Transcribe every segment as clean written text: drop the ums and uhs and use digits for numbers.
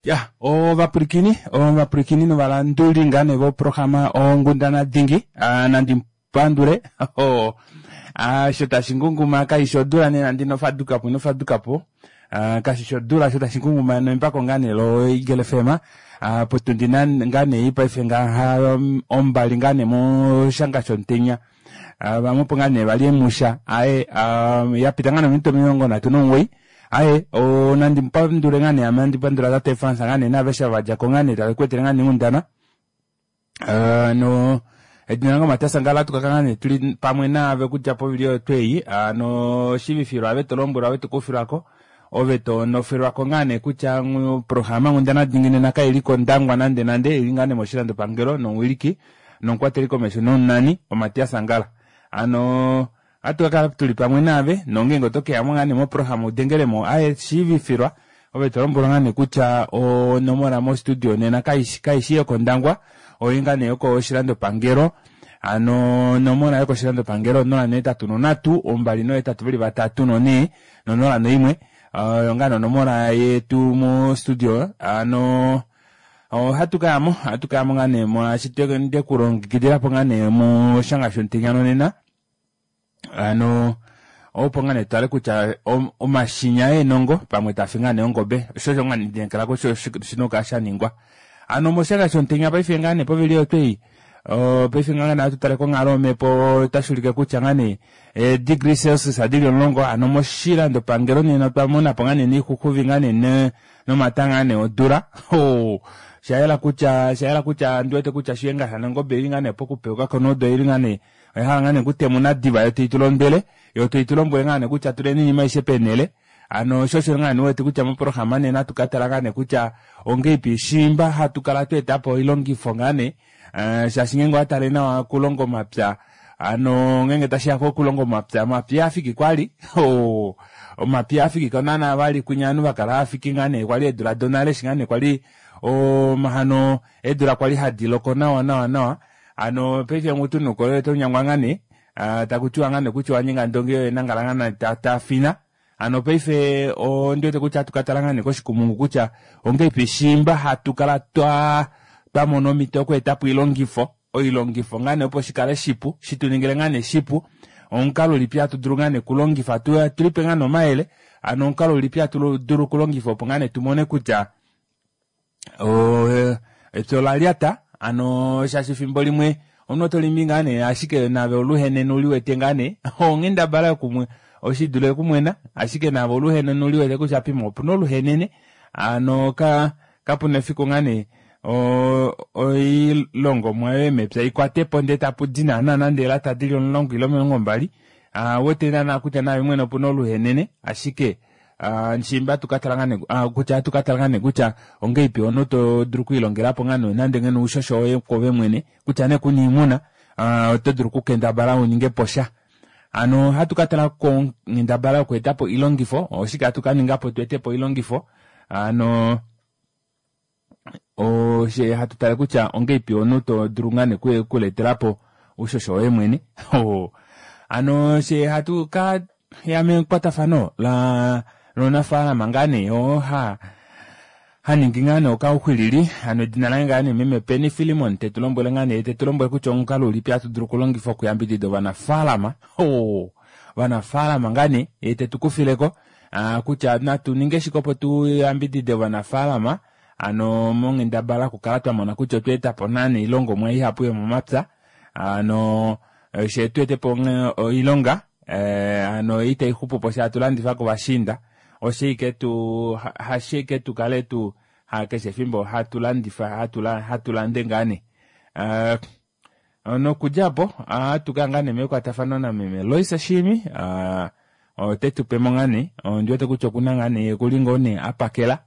Ya ovapwilikini ovapwilikini novalanduli ngaa nee voprograma Ongundana Dingi nandi pandule sho tashi ngunguma kaishi odula nee nande inofadukapo inofadukapo kashishi odula sho tashi ngunguma nembako ngaa nee lo Eagle FM potundi ngaa nee paife ngaha ombali ngaa nee moshanga shomutenya vamwe opo ngaa nee vali emusha aye yapita ngaa nee ominute 39. Aye, o, nandi mu pandule ngaa nee ame andi pandula tate Frans ngaa nee naaveshe ava va dja ko ngaa nee tave ku etele ngaa nee onghundana. Uh, no edina lange Matias Ngala atu kaka ngaa nee tuli pamwe naave okudja povili oyo tweyi ano shivifilwa ave to lombwelwa ave to kufilwako ove to nofilwako ngaa nee kutya programa Nghundana Dingi nena kai li kOndangwa nande nande ili ngaa nee moshilandopangelo nomuwiliki nomukwateli komesho nomunani oMatias Ngala ano Ohatu ka kala tuli pamwe naave, nongeenge oto ke ya mo ngaa nee moprograma u dengele mo aye shiivifilwa, ove to lombwelwa ngaa nee kutya onomola mostudio nena kai shi yokOndangwa, oi ngaa nee yokoshilandopangelo. Hano onomola yokoshilandopangelo 083 283 4 no01 oyo ngaa nee onomola yetu mostudio. Hano ohatu ka ya mo, ohatu ka ya mo ngaa nee molwaashi nde ku longekidila po ngaa nee moshanga shomutenya nonena. Hano opo ngaa nee tutale kutya omashinya eenongo pamwe tafi ngaa nee ongobe osho osho ngaa nee ndinekela kutya oshina okukala sha ningwa. Hano moshanga shomutenya paife ngaa nee povili oyo twei paife ngaa nee ohatu tale konghalo yomhepo otashi ulike kutya ngaa nee eedegree celsius adili 10 hano moshilandopangelo nena otwa mona po ngaa nee niixuxuvi ngaa nee nomata ngaa nee odula. Oshayela kutya oshayela kutya ndi wete kutya shiyenga shanangobe ili ngaa nee pokupeuka konodo ili ngaa nee Oya hala ngaa nee okutemuna diva yo tai tu londwele, yo tai tu lombwele ngaa nee kutya tuleni iinima aishe peenhele. Hano osho osho ngaa nee wete kutya moprograma nena hatu ka tala ngaa nee kutya ongeipi shiimba hatu kala twa eta po oilongifo ngaa nee eh, shaashi ngeenge owa tale nawa okulonga omapya hano ngeenge tashi ya kokulonga omapya omapya ihaa fiki kwali oh, omapya ihaa fiki ko naana vali kwinya ovanhu va kala hava fiki ngaa nee kwali eedula donale eshi ngaa nee kwali omahano eedula kwali hadi loko nawa nawa nawa Hano paife mutu nuukolele oto nyangwa ngaa nee ah, taku tiwa ngaa nee kutya owa nyenga ndongi yoye nangala ngaa nee ta, ta fina. Hano paife ondi wete kutya hatu ka tala ngaa nee koshikumungu kutya ongeipi shiimba hatu kala twa twa mona omhito yoku eta po oilongifo, oilongifo ngaa nee opo shi kale shipu, shi tu ningile ngaa nee shipu. Omukalo ulipi hatu dulu ngaa nee okulongifa tu tu lipe ngaa nee omayele, hano omukalo ulipi hatu dulu okulongifa opo ngaa nee tu mone kutya epya ola lyata ano shaashi efimbo limwe omunhu oto limi ngaa nee ashike nave oluhenene uli wete ngaa nee onghendabala yokumwe oshidule okumwena ashike nave oluhenene uli wete kutya pimwe opuna oluhenene ano ka kapuna efiku ngaa nee oilongomwa yoye mepya ikwate po ndee tapu di naana nande elata dili 10 ile 20 wete naana kutya naave mwene opuna oluhenene ashike Ah, nshimba atu ka tala ngaa nee ah, kutya atu ka tala ngaa nee kutya ongeipi omunhu to dulu okwiilongela po ngaa nee nande ngeno oushosho woye kwoove mwene kutya nee kuna oimuna ah, oto dulu okukendabala u ninge po sha. Hano ohatu ka tala konghendabala yokueta po oilongifo, oshike hatu ka ninga po tu ete po oilongifo hano oshe hatu tale kutya ongeipi omunhu to dulu ngaa nee okuletela po oushosho woye mwene. Hano she hatu ka ya mekwatafano la lomunafaalama ngaa nee oo ha ha ningi ngaa nee okauxwilili hano edina laye ngaa nee meme Penny Fillemon te tu lombwele ngaa nee te tu lombwele kutya omukalo ulipi hatu dulu okulongifa okuyambidida ovanafaalama ovanafaalama ngaa nee ye te tu kufileko kutya natu ninge shike opo tu yambidide ovanafaalama hano monghendabala okukala twa mona kutya otwa eta po naana oilongomwa ihapu yomomapya hano she tu ete po oilonga hano itai xupu po sha hatu landifa kovashiinda oshe ike tu hashe ike tu kale tu ha keshe efimbo hatu landifa hatu lande ngaa nee Nokudja opo ohatu ka ngaa nee mekwatafano nameme Loisa Shiimi ote tu pe mo ngaa nee ondi wete kutya okuna ngaa nee okuli ngoo nee a pakela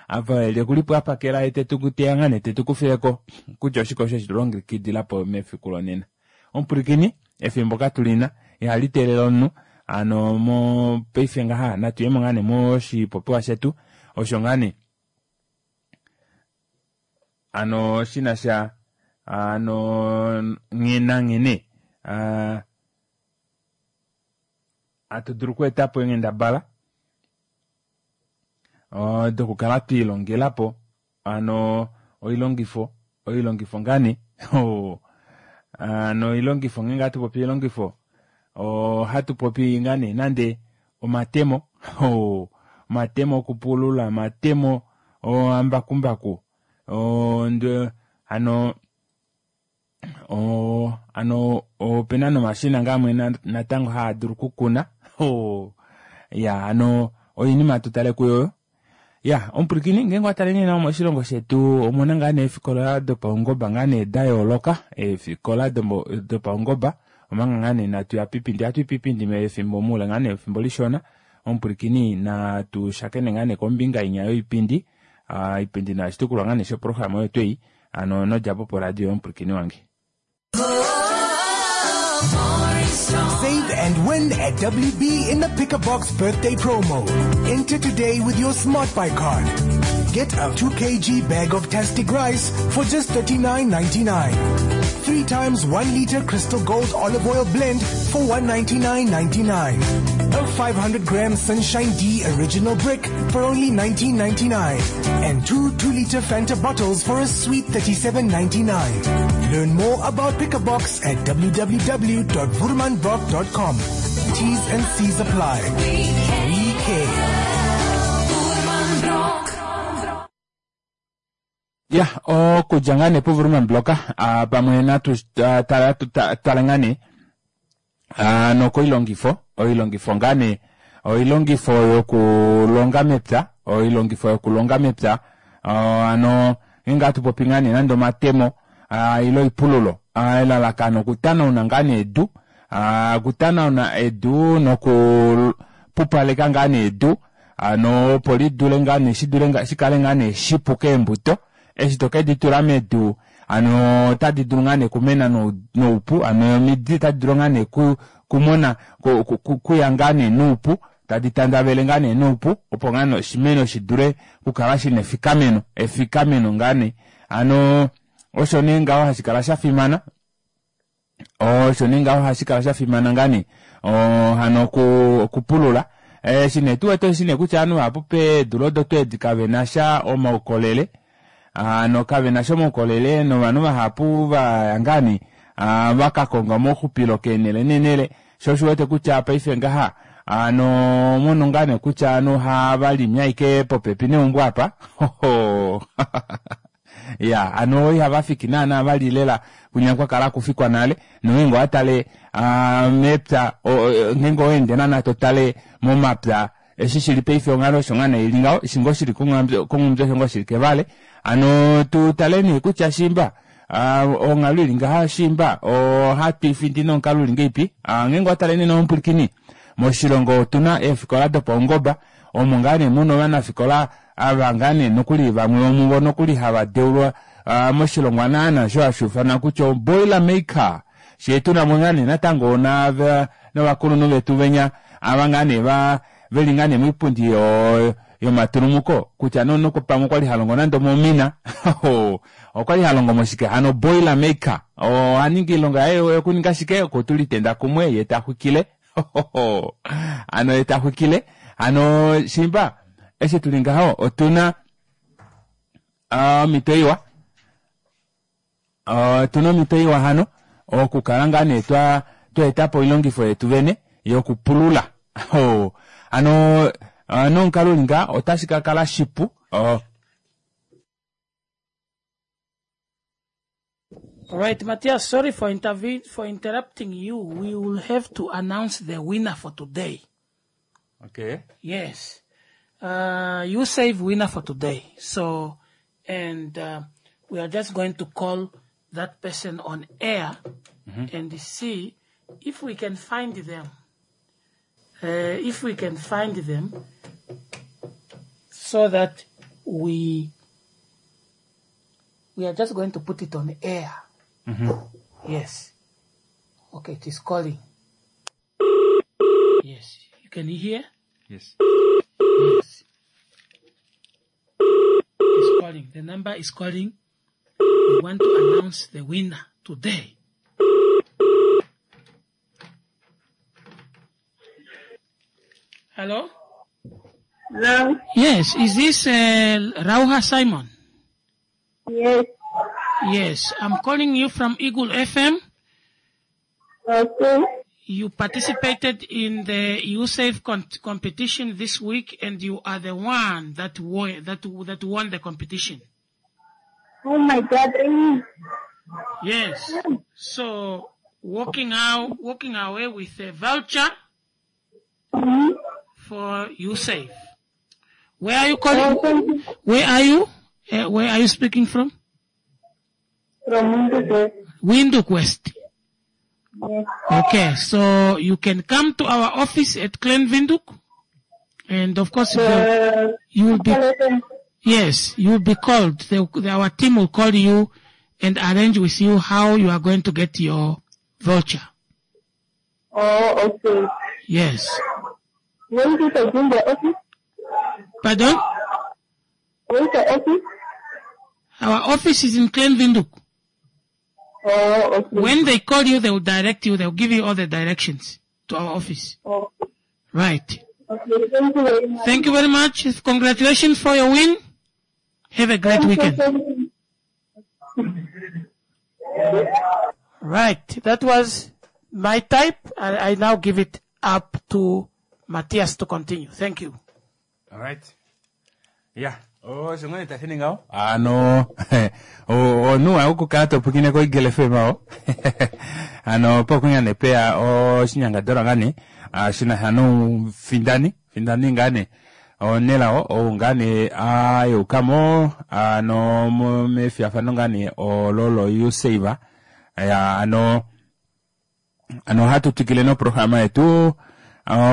apa eli okuli po a pakela ye te tu teya ngaa nee te tu kufileko kutya oshike osho eshi tu longekidila po mefiku lonena. Omupwilikini efimbo katu lina ihali teelele omunhu hano mopaife ngaha natu yemo ngaa nee moshipopiwa shetu osho ngaa nee Ano shi na sha ano nghee nanghene hatu dulu okweeta po eenghendabala. Dokukala twiilongelapo ano oilongifo oilongifo ngaa nee ano oilongifo ngeenge ohatu popi oilongifo ohatu popi ngaa nee nande omatemo omatemo okupulula omatemo omambakumbaku hano hano opena nomashina ngaa amwe natango haa dulu okukuna ya hano oinima hatu tale kuyo ya omupwilikini ngeenge owa tale nee nawa moshilongo shetu omuna ngaa nee eefikola dopaungoba ngaa nee da yooloka eefikola dopaungoba omanga ngaa nee natu ya piipindi ohatu i piipindi mefimbo muule ngaa nee efimbo lishona omupwilikini natu shakene ngaa nee kombinga inya yoipindi iipindi nayo oshitukulwa ngaa nee shoprograma oyo twei ano nodjapo poradio yomupwilikini wange. Save and win at WB in the Pick a Box birthday promo. Enter today with your Smart Buy card. Get a 2 kg bag of Tastic rice for just $39.99. 3 times 1 liter Crystal Gold olive oil blend for $199.99. A 500 gram Sunshine D original brick for only $19.99. And two 2 liter Fanta bottles for a sweet $37.99. Learn more about Pick a Box at www.voermanbrock.com. T's and C's apply. We care. Ya, okudja ngaa nee puVurman Block pamwe natu tale ngaa nee nokoilongifo, oilongifo ngaa nee oilongifo yokulonga mepya, oilongifo yokulonga mepya hano ngeenge ohatu popi ngaa nee nande omatemo ile oipululo elalakano okutanauna ngaa nee edu okutanauna edu nokupupaleka ngaa nee edu Hano opo li dule ngaa nee shi dule shi kale ngaa nee shipu keembuto eshi to ke di tula medu hano otadi dulu ngaa nee okumena noupu hano omidi otadi dulu ngaa nee kumona kuya ngaa nee noupu tadi tandavele ngaa nee noupu opo ngaa nee oshimeno shi dule okukala shina efikameno efikameno ngaa nee hano osho nee ngaho hashi kala sha fimana Osho nee ngaho ohashi kala sha fimana ngaa nee hano okupulula. Eshi nee tu wete oshi nee kutya ovanhu vahapu peedula odo tweedi kave na sha omaukolele hano kave na sha omaukolele novanhu vahapu va ya ngaa nee va ka konga omauxupilo keenhele neenhele sho osho wete kutya paife ngaha hano mono ngaa nee kutya ovanhu ohava limi ashike popepi neumbo apa Ya, ano ihava fiki naana vali lela kwinya kwa kala kufikwa nale, nongeenge owa tale mepya, ngeenge owa ende naana to tale momapya, eshi shili paife onghalo osho ngaa nee ili ngaho, eshi ngoo shili kOnghumbyo osho ngoo shili kEvale. Hano tu tale nee kutya shiimba onghalo ili ngaha shiimba ohatu i findi nomukalo uli ngeipi. Ngeenge owa tale nena omupwilikini, moshilongo otu na eefikola dopaungoba, omo ngaa nee muna ovanafikola Ava ngaa nee nokuli vamwe vomuvo nokuli hava deulwa moshilongwa naana osho hashi ufanwa kutya o boiler maker. Shee tuna mo ngaa nee natango novakulunhu vetu venya ava ngaa nee va veli ngaa nee moipundi yomatulumuko kutya nee omunhu pamwe okwali ha longo nande omomina okwali ha longo moshike hano boiler maker oha ningi oilonga yaye yokuninga shike okutula oitenda kumwe ye ta xwikile Hano ye ta xwikile. Hano shimba eshi tuli ngaho otuna omhito iwa. Otuna omhito iwa hano okukala ngaa nee twa twa po oilongifo yetu vene yokupulula. Hano nomukalo uli ngaha otashi ka kala shipu. All right, Matthias, sorry for intervene, for interrupting you. We will have to announce the winner for today. Okay. Yes. You save winner for today. So, and we are just going to call that person on air and see if we can find them. If we can find them so that we we are just going to put it on air. Yes. Okay, it is calling. Yes. You can hear? Yes. Yes. It's calling. The number is calling. We want to announce the winner today. Hello? Hello? Yes, is this Rauha Simon? Yes. Yes, I'm calling you from Eagle FM. Okay. You participated in the USAFE competition this week, and you are the one that won, that, that won the competition. Oh my God, really? Yes. So walking out, walking away with a voucher for USAFE. Where are you calling? Oh, thank you. Where are you? Where are you speaking from? From Windhoek. Windhoek West. Yes. Okay, so you can come to our office at Klein Windhoek, and of course you will be yes, you will be called. Our team will call you and arrange with you how you are going to get your voucher. Oh, okay. Yes. Where is it again, the office? Pardon? Where is the office? Our office is in Klein Windhoek. Oh, okay. When they call you, they will direct you. They will give you all the directions to our office. Oh. Right. Okay, thank you very much. Thank you very much. Congratulations for your win. Have a great Thank you, weekend. thank you. Right. That was my type. I now give it up to Matthias to continue. Thank you. All right. Yeah. Oh, osho ngoo tashi ningi ngaho. Ano, onuwa okukala to pwilikine koEagle FM aho. Ano, pokunya ne peya oshinyangadalwa ngaa nee, shina sha nomufindani, findani ngaa nee, onelao, ou ngaa nee ayukamo, ano mefiyafano ngaa nee olo lo YouSave. Ya, ano, ano ohatu twikile noprograma yetu,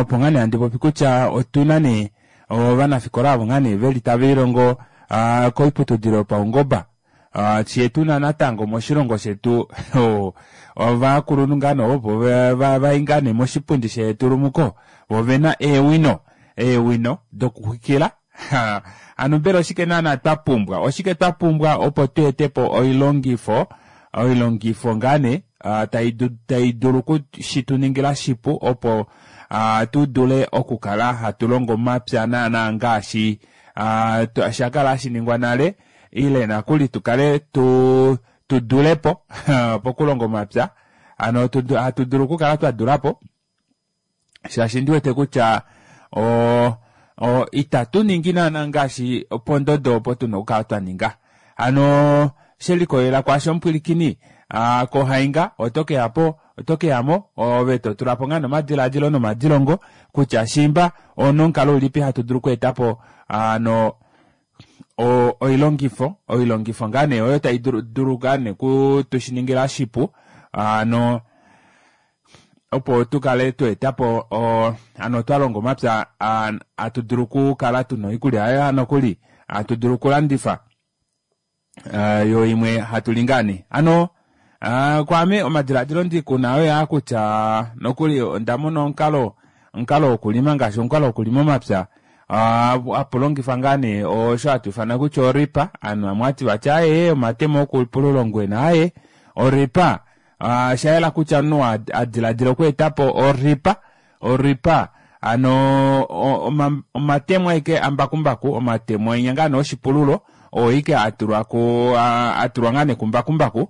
opo ngaa nee handi popi kutya otuna nee ovanafikola avo ngaa nee veli tava ilongo koiputudilo yopaungoba. Fye tuna natango moshilongo shetu ovakulunhu ngaa nee opo vai ngaa nee moshipundi shetulumuko, vo vena eewino dokuxwikila. Ano mbela oshike naana twa pumbwa? Oshike twa pumbwa opo tu etepo oilongifo ngaa nee, tai dulu kushituningila shipu opo tu dule okukala hatu longo omapya naana ngaashi shakala hashi ningwa nale, ile nakuli tukale tu dulepo pokulonga omapya. Ano hatu dulu okukala twa dulapo, shaashi ndiwete kutya itatu ningi naana ngaashi pondodo opo tuna okukala twa ninga. Ano shelikolela kwaasho omupwilikini, kohainga oto keya po, oto keyamo, ove to tula po ngaa nomadiladilo nomadilongo kutya shimba onomukalo ulipi hatu dulu okweetapo ano oilongifo ngaa nee oyo tai dulu ngaa nee kutushiningila shipu, ano opo tukale tweetapo ano twa longa omapya, atu dulu okukala tuna oikulya ayo nokuli atu dulu okulandifa, yo imwe hatu li ngaa nee. Ano kwaame omadiladilo ndikuna oyo aa kutya nokuli onda mona omukalo wokulima ngaashi omukalo wokulima omapya, apu longifwa ngaa nee osho hatu ifana kutya oripa. Anu amwe ati vati aye omatemo okupulula ongwena, aye oripa. Shayela kutya omunhu adiladila okweetapo oripa ano omatemo aike ambakumbaku, omatemo enya ngaa nee oshipululo oo ike atulwa ku, atulwa ngaa nee kumbakumbaku.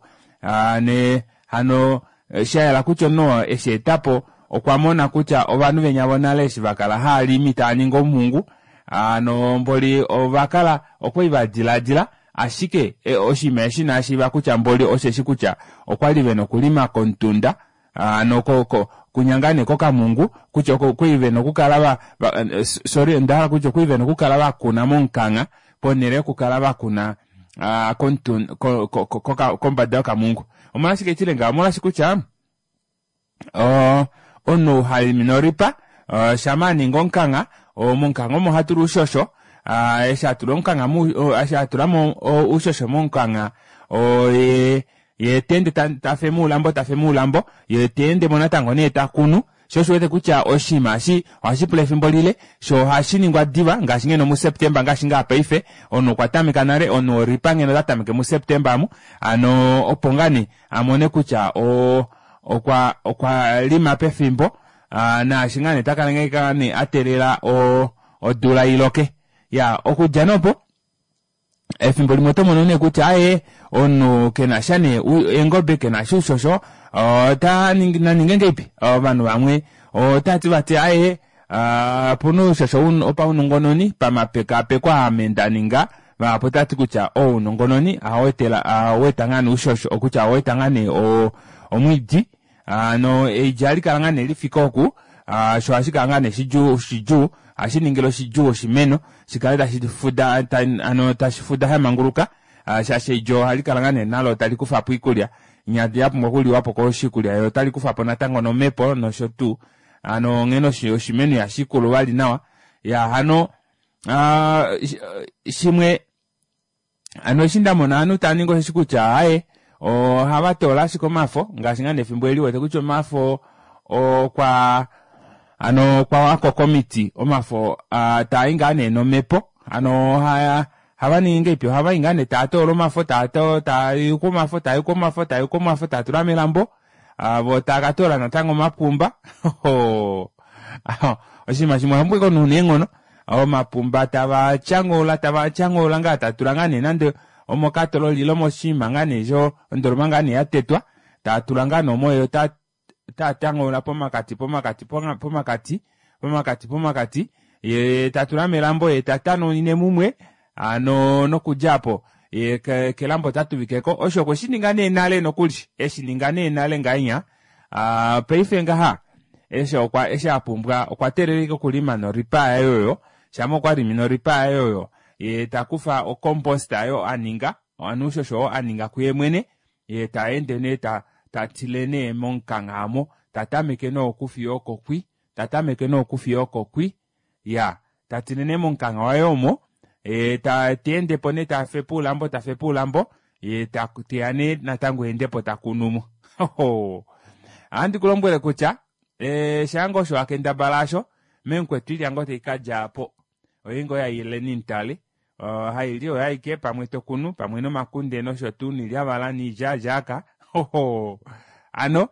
Ne hano shayela kutya omunhu eshi etapo okwa mona kutya ovanhu venya vonale eshi vakala haalimi taa ningi omungu, ano mboli ovakala okwali vadiladila, ashike oshinima eshi inaashiiva kutya mboli osheshi kutya okwali vena okulima komutunda, ano kunyanga nee kokamungu, kutya okwali vena okukala va, va sorry, onda hala kutya okwali vena okukala vakuna momukangha ponhele yokukala vakuna, kombada yokamungu. Omolwashike tile ngaho? Omolwashi kutya, omunhu halimi noripa, shama aninga omukangha, momukangha omo hatula uushosho, eshi atula omukangha eshi atulamo uushosho momukangha, ye teende tafe muulambo, tafe muulambo, ye teendemo natango nee takunu. Sho osho wete kutya oshinima eshi ohashi pula efimbo lile, sho ohashi ningwa diva ngaashi ngeno muSeptemba, ngaashi ngaa paife omunhu okwa tameka nale, omunhu oripa ngeno ota tameke muSeptemba amu, ano opo ngaa nee amone kutya okwa lima pefimbo, naashi ngaa nee takala ngaa nee a teelela odula iloke. Ya, okudja nopo efimbo limwe oto mono nee kutya aye omunhu kena sha nee eengobe kena sha oushosho ota ningi naninge ngeipi ovanhu vamwe otati vati aye opuna oushosho opaunongononi pamapekapeko ame nda ninga vahapu otati kutya ounongononi ohau eta ngaa nee oushosho okutya ohau eta ngaa nee omwiidi ano eidja ohali kala ngaa nee lifike oku sho ohashi kala ngaa nee shidjuu shidjuu ohashi ningile oshidjuu oshimeno shikale tashi fuda ano tashi fuda shamanguluka shaashi eidja ohali kala ngaa nee nalo tali kufa po iikulya inya ya pumbwa okuliwa po koshikulya yo otali kufa po natango nomhepo nosho tuu ano onghene oshimeno ihashi kulu vali nawa ya hano shimwe ano eshi nda mona ovanhu tava ningi osheshi kutya aye ohava toola ashike omafo ngaashi ngaa nefimbo eli wete kutya omafo okwa ano okwa wako komiti omafo taa i ngaa nee nomhepo ano ohaya hava ningi ngeipi ohava i ngaa nee taa toola omafo taa yuku omafo taa yuku omafo taa yuku omafo taa tula melambo vo taa ka toola natango omapumba oshinima shimwe ohamu pweke omunhu neenghono omapumba tava tyanghoula tava tyanghoula ngaa ta tula ngaa nee nande omokatololi ile moshinima ngaa nee sho ondoloma ngaa nee ya tetwa taa tula ngaa nee omo yo ta ta tyanghoula pomakati pomakati pomakati pomakati pomakati ye ta tula melambo ye ta tanaunine mumwe ano nokudja apo ye kelambo ota tuvikeko osho okwe shi ninga nee nale nokuli eshi ninga nee nale ngainya paife ngaha eshi okwa eshi a pumbwa okwa teeleleka okulima noripa yaye oyo shama okwa limi noripa yaye oyo ye ta kufa ocompost ayo a ninga ano oushosho oo a ninga kuye mwene ye ta ende nee ta ta tile nee momukangha amo ta tameke nee okufiya oko kwi ta tameke nee okufiya oko kwi ya ta tile nee momukangha waye omo ye ta ta ende po nee ta fepa oulambo ta fepa oulambo ye ta teya nee natango ende po ta kunu mo ohandi ku lombwele kutya e, shaanga osho wa kendabala asho memukwetu ilya ngoo tai ka dja po oye ngoo yaileni mutale haili oyo aike pamwe to kunu pamwe nomakunde nosho tuu niilyavala niilyaalyaaka ano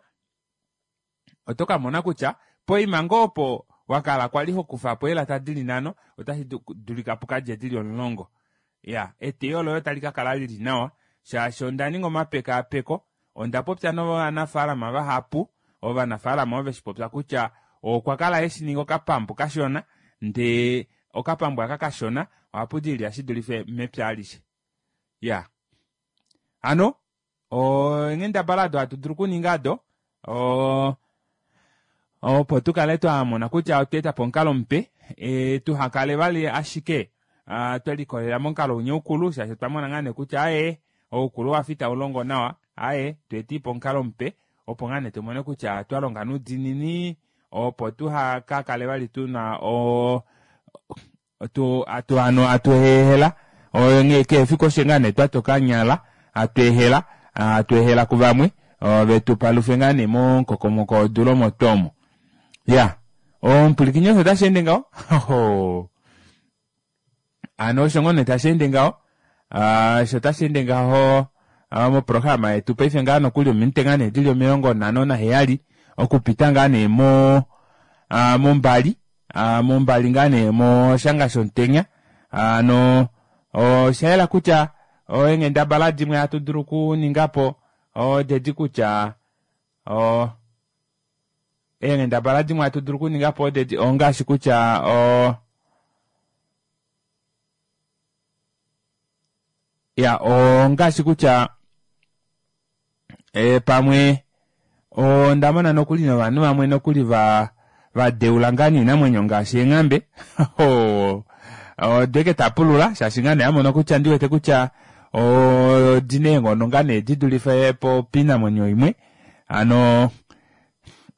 oto ka mona kutya poima ngoo opo wa kala kwali ho kufa po eelata dili nhano otashi dulika pu ka dje dili omulongo. Ya, eteyo loye otali ka kala lili nawa shaashi onda ninga omapekaapeko, onda popya novanafaalama vahapu, ovanafaalama ove shi popya kutya okwa kala eshi ninga okapambu kashona ndee okapambu aka kashona ohapu di ilya shi dulife mepya alishe. Ya. Hano Eenghendabala odo hatu dulu okuninga odo opo tu kale twa mona kutya otwa eta po omukalo mupe e, tuha kale vali ashike twe likolelela momukalo winya ukulu shaashi otwa mona ngaa nee kutya aye oukulu wa fi tau longo nawa aye tu eti po omukalo mupe opo ngaa nee tu mone kutya twa longa noudiinini opo tuha ka kale vali tu na o tu atu ano atu ehela onghee kehe efiku oshe ngaa nee twa toka nyala atu ehela atu ehela kuvamwe ove tu palufe ngaa nee momukokomoko wodula omo tuu omo ya omupwilikini osho tashi ende ngaho ano osho ngoo nee tashi ende ngaho osho tashi ende ngaho moprograma yetu paife ngaa nokuli ominute ngaa nee dili 57 okupita ngaa nee mo mombali mombali ngaa nee moshanga shomutenya ano osha yela kutya eenghendabala dimwe hatu dulu okuninga po odedi kutya eenghendabala dimwe hatu dulu okuninga po odedi ongaashi kutya ya ongaashi kutya e, pamwe onda mona nokuli novanhu vamwe nokuli va va deula ngaa niinamwenyo ngaashi eenghambe odeke ta pulula shaashi ngaa nee a mona kutya ndi wete kutya odi na eenghono ngaa nee di dulife po piinamwenyo imwe ano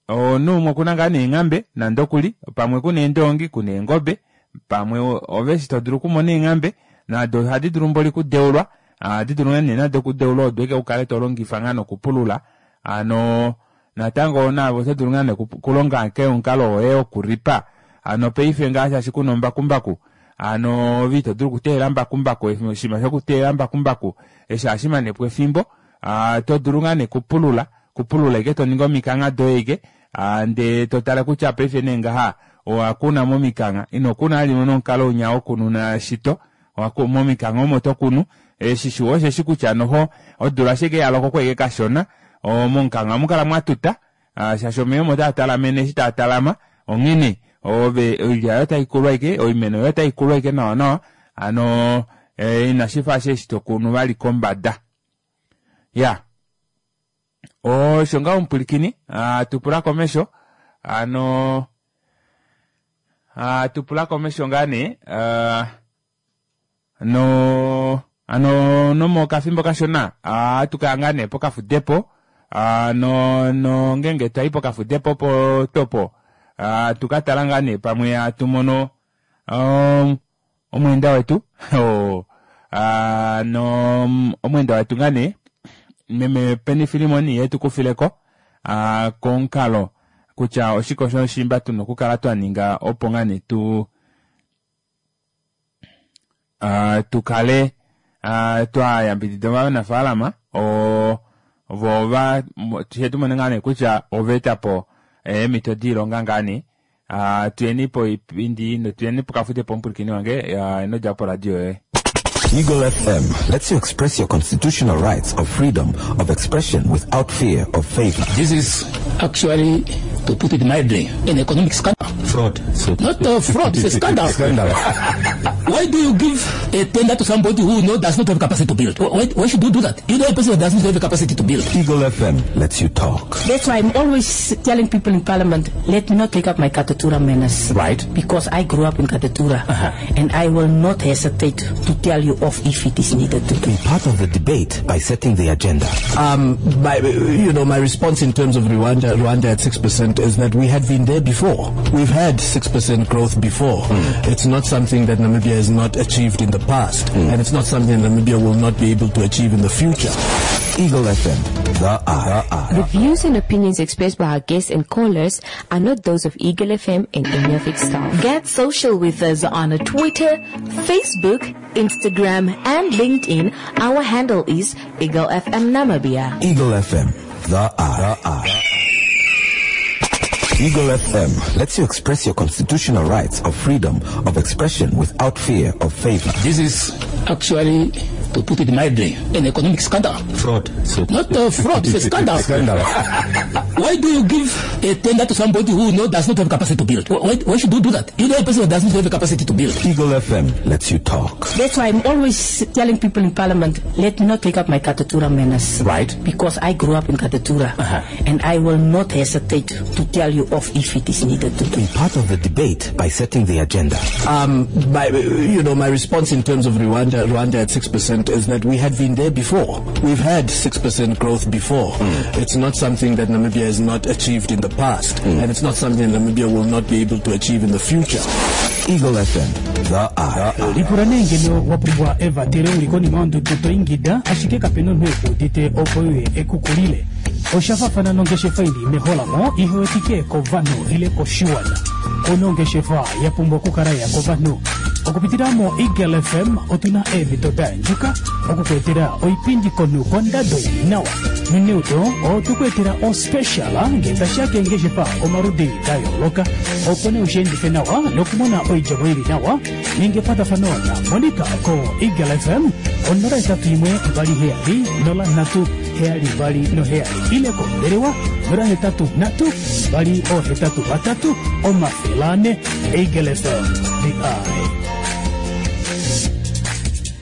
omunhu umwe okuna ngaa neenghambe nande okuli pamwe kuna eendoongi kuna eengobe pamwe ove eshi to dulu okumona eenghambe nado ohadi dulu mboli kudeulwa ohadi dulu nee nado okudeulwa odo eke ukale to longifa ngaa nokupulula ano natango naave oto dulu ngaa nee kulonga ke omukalo woye wokuripa ano paife ngaa shaashi kuna ombakumbaku ano ove ito dulu okuteela mbakumbaku oshinima shokuteela mbakumbaku eshi ohashi mane po efimbo to dulu ngaa nee kupulula kupulula ike to ningi omikangha doye ike ndee to tale kutya paife nee ngaha. Owa kuna momikangha, ino kuna vali nomukalo unya wokununa shito, momikangha omo to kunu. Eshi shiwa osheshi kutya noho odula ashike ya loko kweke kashona, momukangha ohamu kala mwatuta, shaashi omeva omo taa talamene eshi taa talama, onghene ove oilya yoye otaikulwa ashike, oimeno yoye otaikulwa ashike nawa nawa, hano inashifa ashike eshi tokunu vali kombada. Ya osho ngaho omupwilikini, tupula komesho hano tupula komesho ngaa nee no ano nomokafimbo kashona atukaya ngaa nee pokafudepo no no ngenge twayi pokafudepo po topo tukatala ngaa nee pamwe atumono omweenda wetu no omweenda wetu ngaa nee meme Penny Filimon ye tukufileko komukalo kutya oshike osho shimba tuna okukala twaninga opo ngaa nee tu tukale twayambidida ovanafaalama vo va shetumone ngaa nee kutya ovaetapo eemhito doilonga ngaa nee tuyeni poipindi notuyeni pokafudepo omupwilikini wange ino djapo poradio yoye. Eagle FM lets you express your constitutional rights of freedom of expression without fear of favor. This is actually, to put it mildly, an economic scandal. Fraud. Not a fraud, it's a scandal. Scandal. Why do you give a tender to somebody who does not have capacity to build? Why should you do that? You know a person that does not have the capacity to build. Eagle FM lets you talk. That's why I'm always telling people in Parliament, let me not take up my Katutura manners. Right. Because I grew up in Katutura. And I will not hesitate to tell you off if it is needed to. Be part of the debate by setting the agenda. My response in terms of Rwanda at 6% is that we had been there before. We've had 6% growth before. It's not something that Namibia has not achieved in the past, and it's not something that Namibia will not be able to achieve in the future. Eagle FM, the eye. The views and opinions expressed by our guests and callers are not those of Eagle FM and any of its staff. Get social with us on Twitter, Facebook, Instagram, and LinkedIn. Our handle is Eagle FM Namibia. Eagle FM, the eye. Eagle FM lets you express your constitutional rights of freedom of expression without fear of favor. This is actually, to put it mildly, an economic scandal. Fraud. Not a fraud, it's a scandal. Scandal. Why do you give a tender to somebody who does not have capacity to build? Why should you do that? You know a person that does not have the capacity to build. Eagle FM lets you talk. That's why I'm always telling people in Parliament, let me not take up my Katutura manners. Right. Because I grew up in Katutura. And I will not hesitate to tell you off if it is needed to. Be part of the debate by setting the agenda. My response in terms of Rwanda at 6% is that we had been there before. We've had 6% growth before. It's not something that Namibia has not achieved in the past, and it's not something that Namibia will not be able to achieve in the future. Eagle FM, the eye. Lipula nee ngeno wa pumbwa evatele uli konima yondudu to ingida, ashike kapena omunhu ekuudite opo uye ekukulile. Oshafafana nongeshefa ili meholamo ihewetike kovanhu ile koshiwana. Kuna ongeshefa ya pumbwa okukala ya kovanhu. Okupitila mo Eagle FM otuna eemhito da andjuka okukuetela oipindi komunhu kondado ili nawa. Noneudo otukuetela ospecial ngee tashiya keengeshefa omaludi da yooloka. Opo nee ushiendife nawa nokumona oidjemo ili nawa, ninga ekwatafano na Monica ko Eagle FM 081 27 03 72 7 ile kombelewa 083 283 400. Eagle FM, the eye.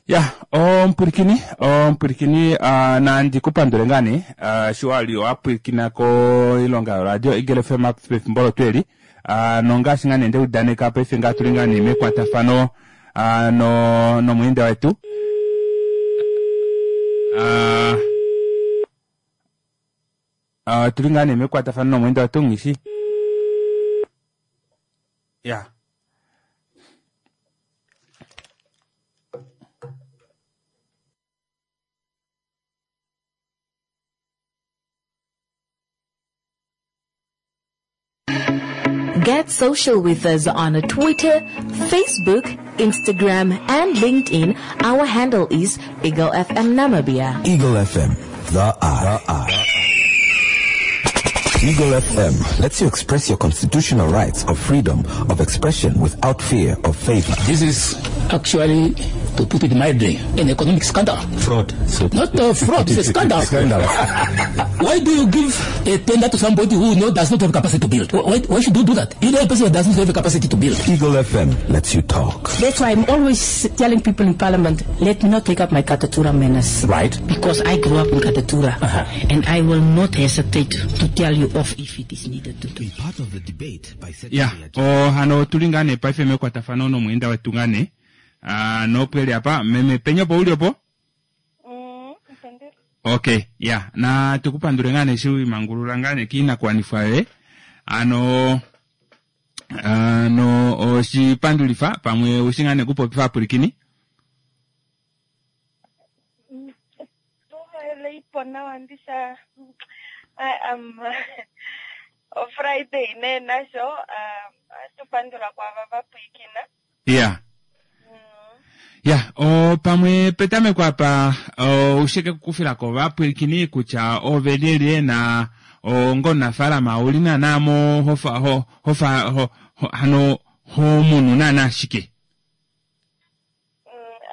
Ya, omupwilikini nandi kupandule ngaa nee sho wali wapwilikina koilonga yoradio Eagle FM pefimbo olo eli nongaashi ngaa nee ndeudaneka paife ngaa tuli ngaa nee mekwatafano nomweenda wetu tuli ngaa nee mekwatafano nomweenda wetu ngishi ya. Get social with us on Twitter, Facebook, Instagram, and LinkedIn. Our handle is Eagle FM Namibia. Eagle FM, the eye. Eagle FM lets you express your constitutional rights of freedom of expression without fear of favor. This is actually, to put it mildly, an economic scandal. Fraud. So Not a fraud, it's a scandal. Scandal. Why do you give a tender to somebody who does not have capacity to build? Why should you do that? You know a person who does not have the capacity to build. Eagle FM lets you talk. That's why I'm always telling people in Parliament, let me not take up my Katutura manners. Right. Because I grew up in Katutura. And I will not hesitate to tell you off if it is needed to do. Be part of the debate by setting ya the agenda. o hano otuli ngaa nee paife mekwatafano nomweenda wetu ngaa nee Ah, nopweli apa meme penye opo uli opo okay ya na tukupandule ngaa nee eshi wimangulula ngaa nee kiinakuwanifwa yoye ano ano oshipandulifa pamwe ushi ngaa nee kupopifa apulikini Tuhaleipo nawa ndisha I am Friday nee nasho atupandula kwava vapwikina ya ya o pamwe petameko apa o, ushike kukufilako vapwilikini kutya ove lyelye na onga omunafaalama ouli naana mo hofa ho, hofa ho, ho, hano homunu naana shike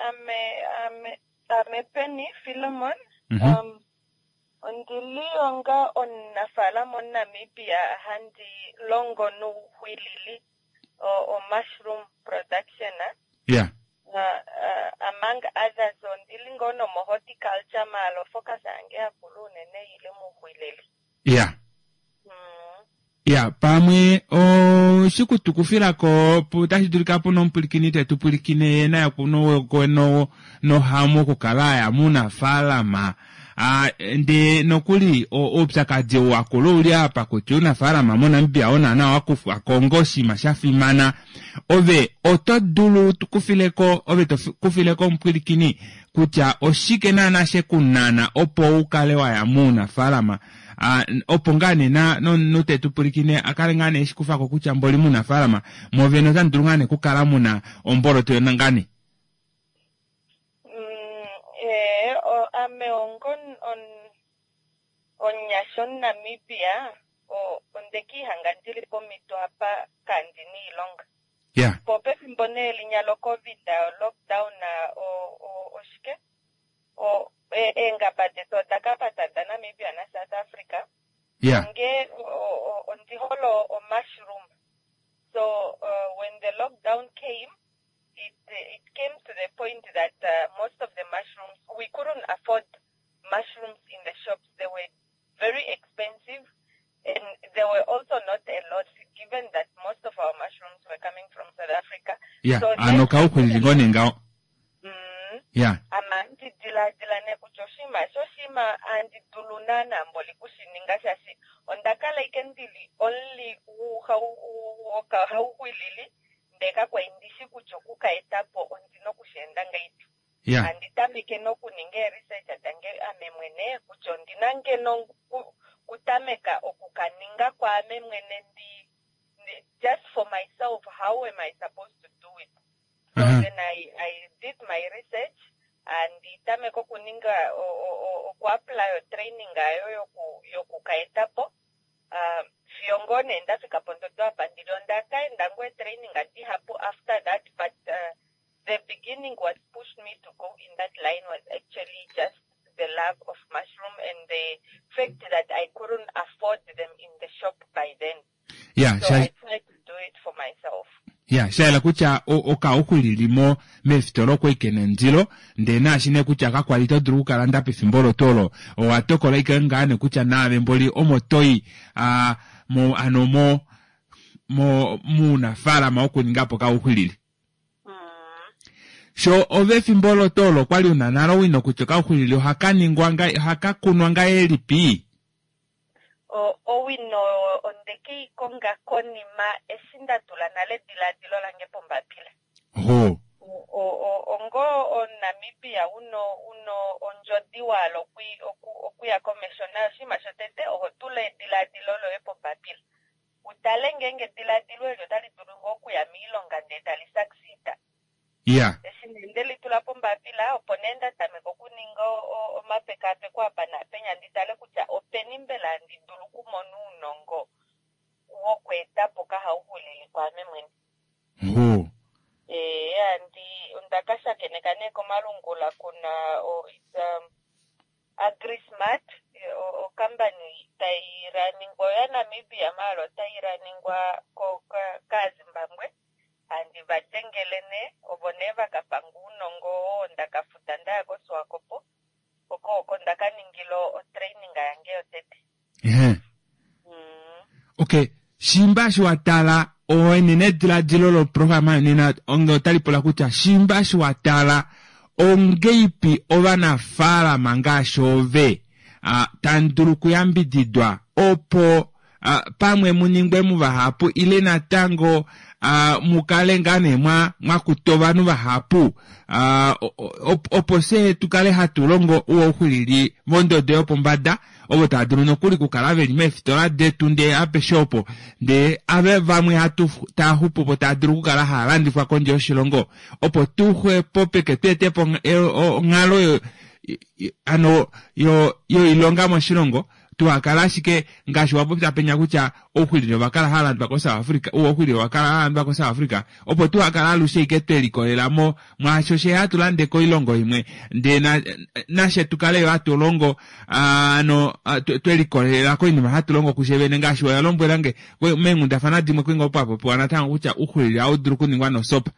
Ame ame ame Penny Philemon ondili onga omunafaalama omuNamibia handi longo nuuhwilili o mushroom production ya among others ondili ngoo nomo horticulture maala ofocus yange yakulu unene ili muuhwilili. ya ya pamwe oshikutukufilako tashi dulika puna omupulikini tetupulikine ye naye kuno nohamu okukala aya muunafaalama Ah, ndee nokuli oupyakadi wakula ouli apa kutya uunafaalama moNamibia onaana wakufwako onga oshinima shafimana ove oto dulu tukufileko ove tokufileko omupwilikini kutya oshike naana shekunana opo ukale waya muunafaalama Ah, opo ngaa nee notetupulikine akale ngaa nee eshikufako kutya mboli muunafaalama mwovene otamu dulu ngaa nee kukala muna omboloto yona ngaa nee Eh, ame ongo omunyasha omuNamibia ondekiihanga ndili pomhito apa kandina iilonga. Ya. Po pefimbo nee linya loCovid lockdown oshike eengaba detu oda kapata daNamibia naSouth Africa. Ya. Onge ondi hole omushroom. So when the lockdown came, it came to the point that most of the mushrooms, we couldn't afford mushrooms in the shops. They were very expensive, and there were also not a lot, given that most of our mushrooms were coming from South Africa. ya So ano then kauhwilili ngoo nee ngaho ya ama ndidiladila nee kutya oshinima eshi oshinima handi dulu naana mboli kushininga shaashi onda kala ike ndili omuli wokauhwilili ndee kakwali ndishi kutya okuka etapo ondina okusheenda ngahelipi. Ya. Handi tameke nokuninga ee-research dange ame mwene kutya ondina ngeno kutameka okukaninga kwaame mwene ndi just for myself, how am I supposed to do it? So then I did my research and tameka okuninga okuapply otraining ayo yokukaetapo. Fiyo ngoo nee ndafika pondodo apa ndili onda kaenda ngoo etraining dihapu after that, but the beginning what pushed me to go in that line was actually just the love of mushroom and the fact that I couldn't afford them in the shop by then. Ya, So I tried to do it for myself. ya shayela kutya okauhwilili meefitola okwali kena ondilo ndee naashi nee kutya kakwali to dulu okukalanda pefimbo olo tuu olo owa tokola ike ngaa nee kutya naave mboli omo toyi mo ano mo mo muunafaalama wokuningapo okauhwilili. Sho ove efimbo olo tuu olo okwali una nale owino kutya okauhwilili ohaka ningwa nga ohaka kunwa ngahelipi? Owino ondeke i konga konima eshi nda tula nale ediladilo lange pombapila. Ho. Ongo omuNamibia uno ondjodi wahala okuya komesho nayo oshinima shotete oho tula ediladilo loye pombapila. Utale ngeenge ediladilo eli otali dulu ngoo okuya miilonga ndee tali succeed. Ya. Eshi nee nde litula pombapila opo nee nda tameka okuninga omapekapeko apa naapenya ndi tale kutya openi mbela handi dulu okumona ounongo. Oho. Eh, handi onda ka shakeneka nee komalungula kuna o, it's, AgriSmart, o, ocompany tai raningwa oya Namibia maala otai raningwa ko ka, kaaZimbabwe. Handi va dengele nee, ovo nee va ka panga ounongo oo nda ka futa ndaya koSwakopo, oko oko nda ka ningila otraining yange yotete. Ehe. Okay, shimba eshi wa tala enenediladilo loprograma nena onge otali pula kutya shimba eshi wa tala ongeipi ovanafaalama ngaashi ove tamu dulu okuyambididwa opo pamwe mu ningwe muvahapu ile natango mu kale ngaa nee mwa mwa kuta ovanhu vahapu opo fye tu kale hatu longo ouxwilili vondodo yopombada ovo tava dulu nokuli okukala veli meefitola detu ndee apeshe opo ndee ave vamwe hatu taa xupu po taa dulu okukala haa landifwa kondje yoshilongo opo tu xwepopeke tu ete po onghalo yo ano yo yoilonga moshilongo tuhakala ashike ngaashi wa popya penya kutya ouxwilili ova kala hava landwa koSouth Africa, ouxwilili owa kala hava landwa koSouth Africa, opo tuhakala alushe ike twe likolela mo mwaasho she hatu lande koilongo imwe, ndee na, nashe tu kale yo hatu longo ano twe likolelela koinima hatu longo kushe vene ngaashi oya lombwela nge meenghundafana dimwe kwinga opo apopiwa natango kutya ouxwilili ohau dulu okuningwa nosopa.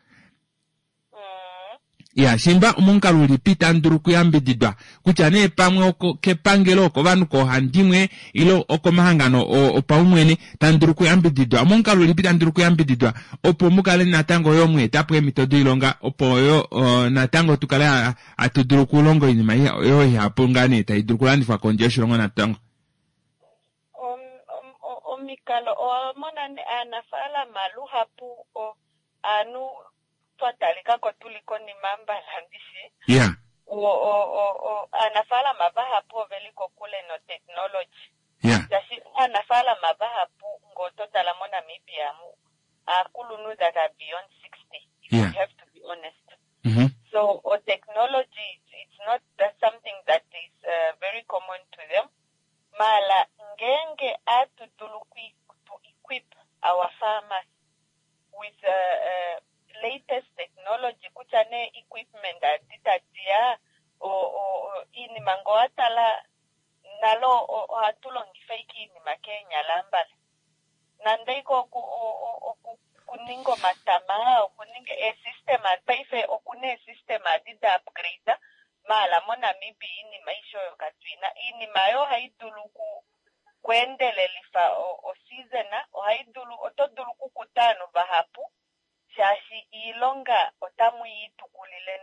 Ya, shimba omomukalo ulipi tamu dulu okuyambididwa, kutya nee pamwe oko kepangelo, okovanhu koohandimwe, ile okomahangano opaumwene, tamu dulu okuyambididwa. Omomukalo ulipi tamu dulu okuyambididwa opo mu kale natango yo mwa eta po eemhito doilonga, opo yo natango tu kale hatu dulu okulonga oinima yo ihapu ngaa nee tai dulu okulandifwa kondje yoshilongo natango. Omikalo, owa mona nee aanafaalama luhapu aanhu twa talika ko tu li konima mbala ndishi. Yeah. O, o, o, o, aanafaalama vahapu ove li kokule notechnology. Yeah. Shaashi aanafaalama vahapu ngee oto tala moNamibia mu, aakulunhu that are beyond 60, if Yeah. we have to be honest. Mm-hmm. So, o technology, it's not that something that is very common to them. Maala ngeenge atu dulu to equip our farmers with latest technology kutya nee equipment adi tadiya iinima ngee owa tala nalo ohatu longifa ashike iinima keenyala ambala nande ike okuninga omatama okuninga eesystem paife okuna eesystem adi da upgrade maala moNamibia iinima aishe oyo katuina iinima oyo ohayi dulu kweendelelifa oseason ohai dulu oto dulu okukuta ovanhu vahapu shaashi iilonga otamu yi tukulile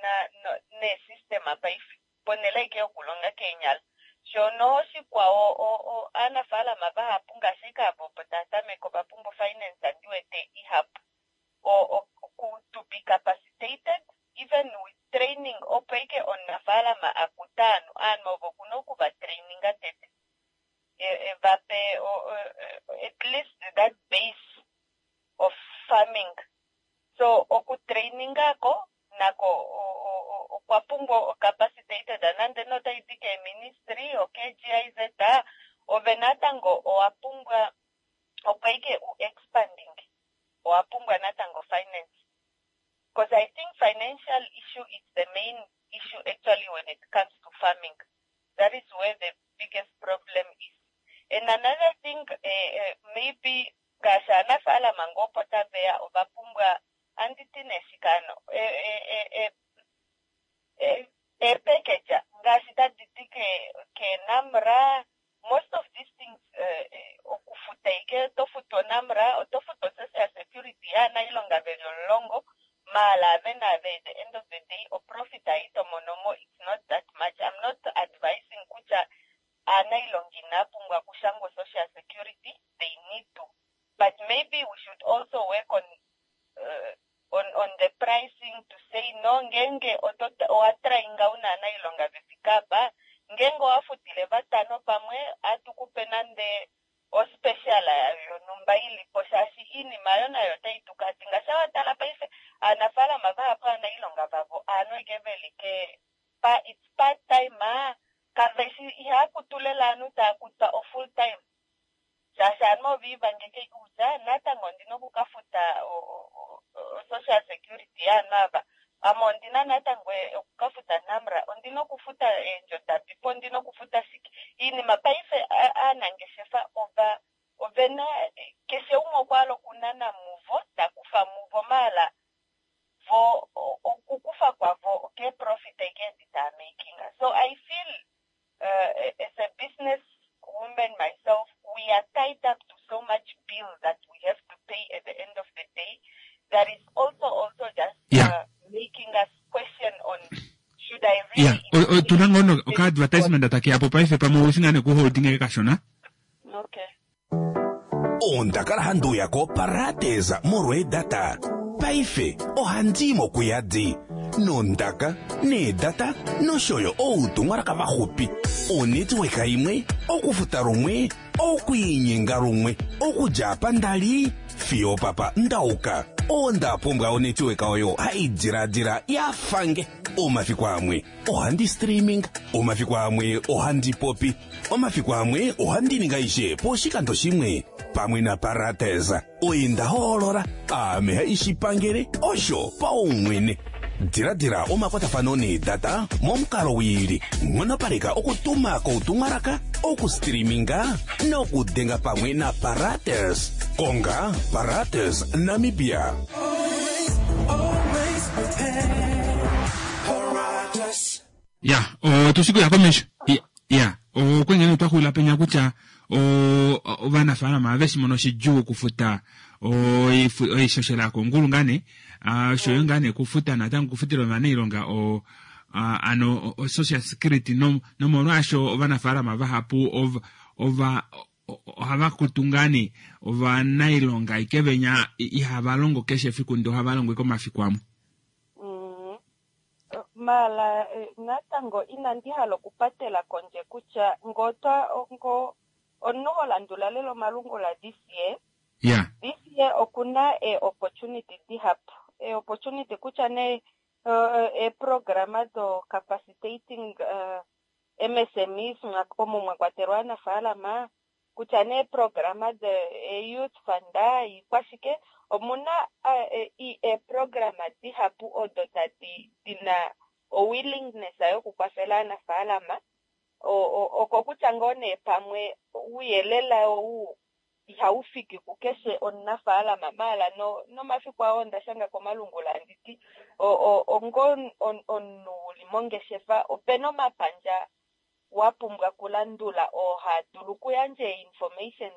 neesystem paife ponhele aike yokulonga keenyala shono oshikwawo aanafaalama vahapu ngaashi ike ava opo tava tameke ova pumbwa finance ndiwete ihapu to be capacitated even with training opo ike omunafaalama akuta ovanhu ovanhu ovo okuna okuva traininga tete vape at least that base of farming so okutrainingako nako okwa pumbwa capacitated nande notaidi keeministry okeGIZ ove natango owa pumbwa opo ike u expanding owa pumbwa natango finance because I think financial issue is the main issue actually when it comes to farming. That is where the biggest problem is. And another thing, maybe ngaashi aanafaalama ngoo opo taveya ova pumbwa anditi neshikano eepackage ngaashi tadi ti keenamra most of these things okufuta ike oto futu onamra oto futu social security yaanailonga veli 10 maala ave naave at the end of the day oprofit ayi to monomo it's not that much. I'm not advising kutya aanailonga inaa pumbwa okushangwa social security, they need to, but maybe we should also work on the pricing to say no ngenge owa trainga una aanailonga vefike apa ngenge owa futile vatano pamwe atukupe nande ospecial yonhumba ilipo shaashi iinima yo nayo otayi tukati ngaashi watala paife aanafaalama vahapu aanailonga vavo aanhu ike veli ke pa it's part time kaveshi ihaakutu lela aanhu taya kutwa o full time shaashi aanhu oviivangeke kutya natango ondina okukafuta. social security yaanhu ava. Ame ondina natango okukafuta NamRA, ondina okufuta eendjo dabipo, ondina okufuta shike. Iinima paife aanangeshefa ova ovena keshe umwe okwa hala okunana muvo, ta kufa muvo maala vo okukufa kwavo okeeprofit aike edi taa makinga. So I feel as a business woman myself, we are tied up to so much bill that we have to pay at the end of the day that is also also just making us question on should I really Ya, otuna ngoo no- oka advertisement takeya po paife pamwe oushi ngaa nekuholding eke kashona. Okay. Onda kala handi uya koParates molweedata. Paife ohandi i mo kuyadi. Nondaka, needata nosho yo outumwalaka vaxupi. Onetwork imwe, okufuta lumwe, okwiinyenga lumwe, okudja apa nda li fiyo opapa nda uka. Onda pumbwa onetwork oyo hai diladila ya fange. Omafiku amwe ohandi streaming, omafiku amwe ohandi popi, omafiku amwe ohandi ningi aishe poshikando shimwe pamwe naParates. Oye nda hoolola, aame haishi pangele, osho paumwene. Diladila omakwatafano needata momukalo wiili. Nghonopaleka okutuma koutumwalaka, okustreaminga nokudenga pamwe naParates. Konga Parates Namibia. Ya, otu shi kuya komesho. Ya, okwengene otwa xulila penya kutya ovanafaalama ave shi mono shidjuu okufuta oishoshela yokongulu ngaa nee, oshoyo ngaa nee okufuta natango okufutila ovanailonga o ano o-social security nomolwaasho ovanafaalama vahapu ova ohava kutu ngaa nee ovanailonga ike venya ihava longo keshe efiku ndee ohava longo ike omafiku amwe. Maala natango inandi hala okupatela kondje kutya ngee otwa ngo omunhu ho landula lela omalungula this year, this year okuna ee opportunity dihapu. Ee opportunity kutya nee eeprograma do capacitating MSMEs omo mwa kwatelwa aanafaalama, kutya nee eeprograma de youth fund, iikwashike, omuna eeprograma dihapu odo tadi dina o willingness yokukwafela aanafaalama. Oko kutya ngoo nee pamwe ouyelele ou ihau fiki kukeshe omunafaalama, maala nomafiku ao onda shanga komalungula handi ti ongo omunhu uli mongeshefa opena omapandja wa pumbwa okulandula oo haa dulu okuyandja information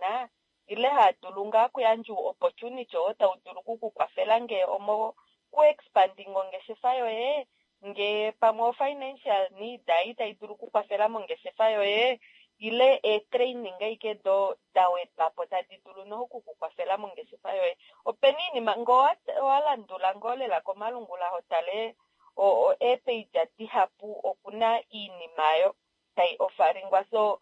ile haa dulu ngaa okuyandja opportunity oo tau dulu okukukwafela ngee omo ku expanding ongeshefa yoye, ngee pamwe o financial need ei tai dulu okukwafela mongeshefa yoye, ile ee-training aike do da wedwa po tadi dulu noho okukukwafela mongeshefa yoye. Opena oinima ngee owa landula ngoo lela komalungula ho tale eepage dihapu okuna iinima oyo tai offeringwa. So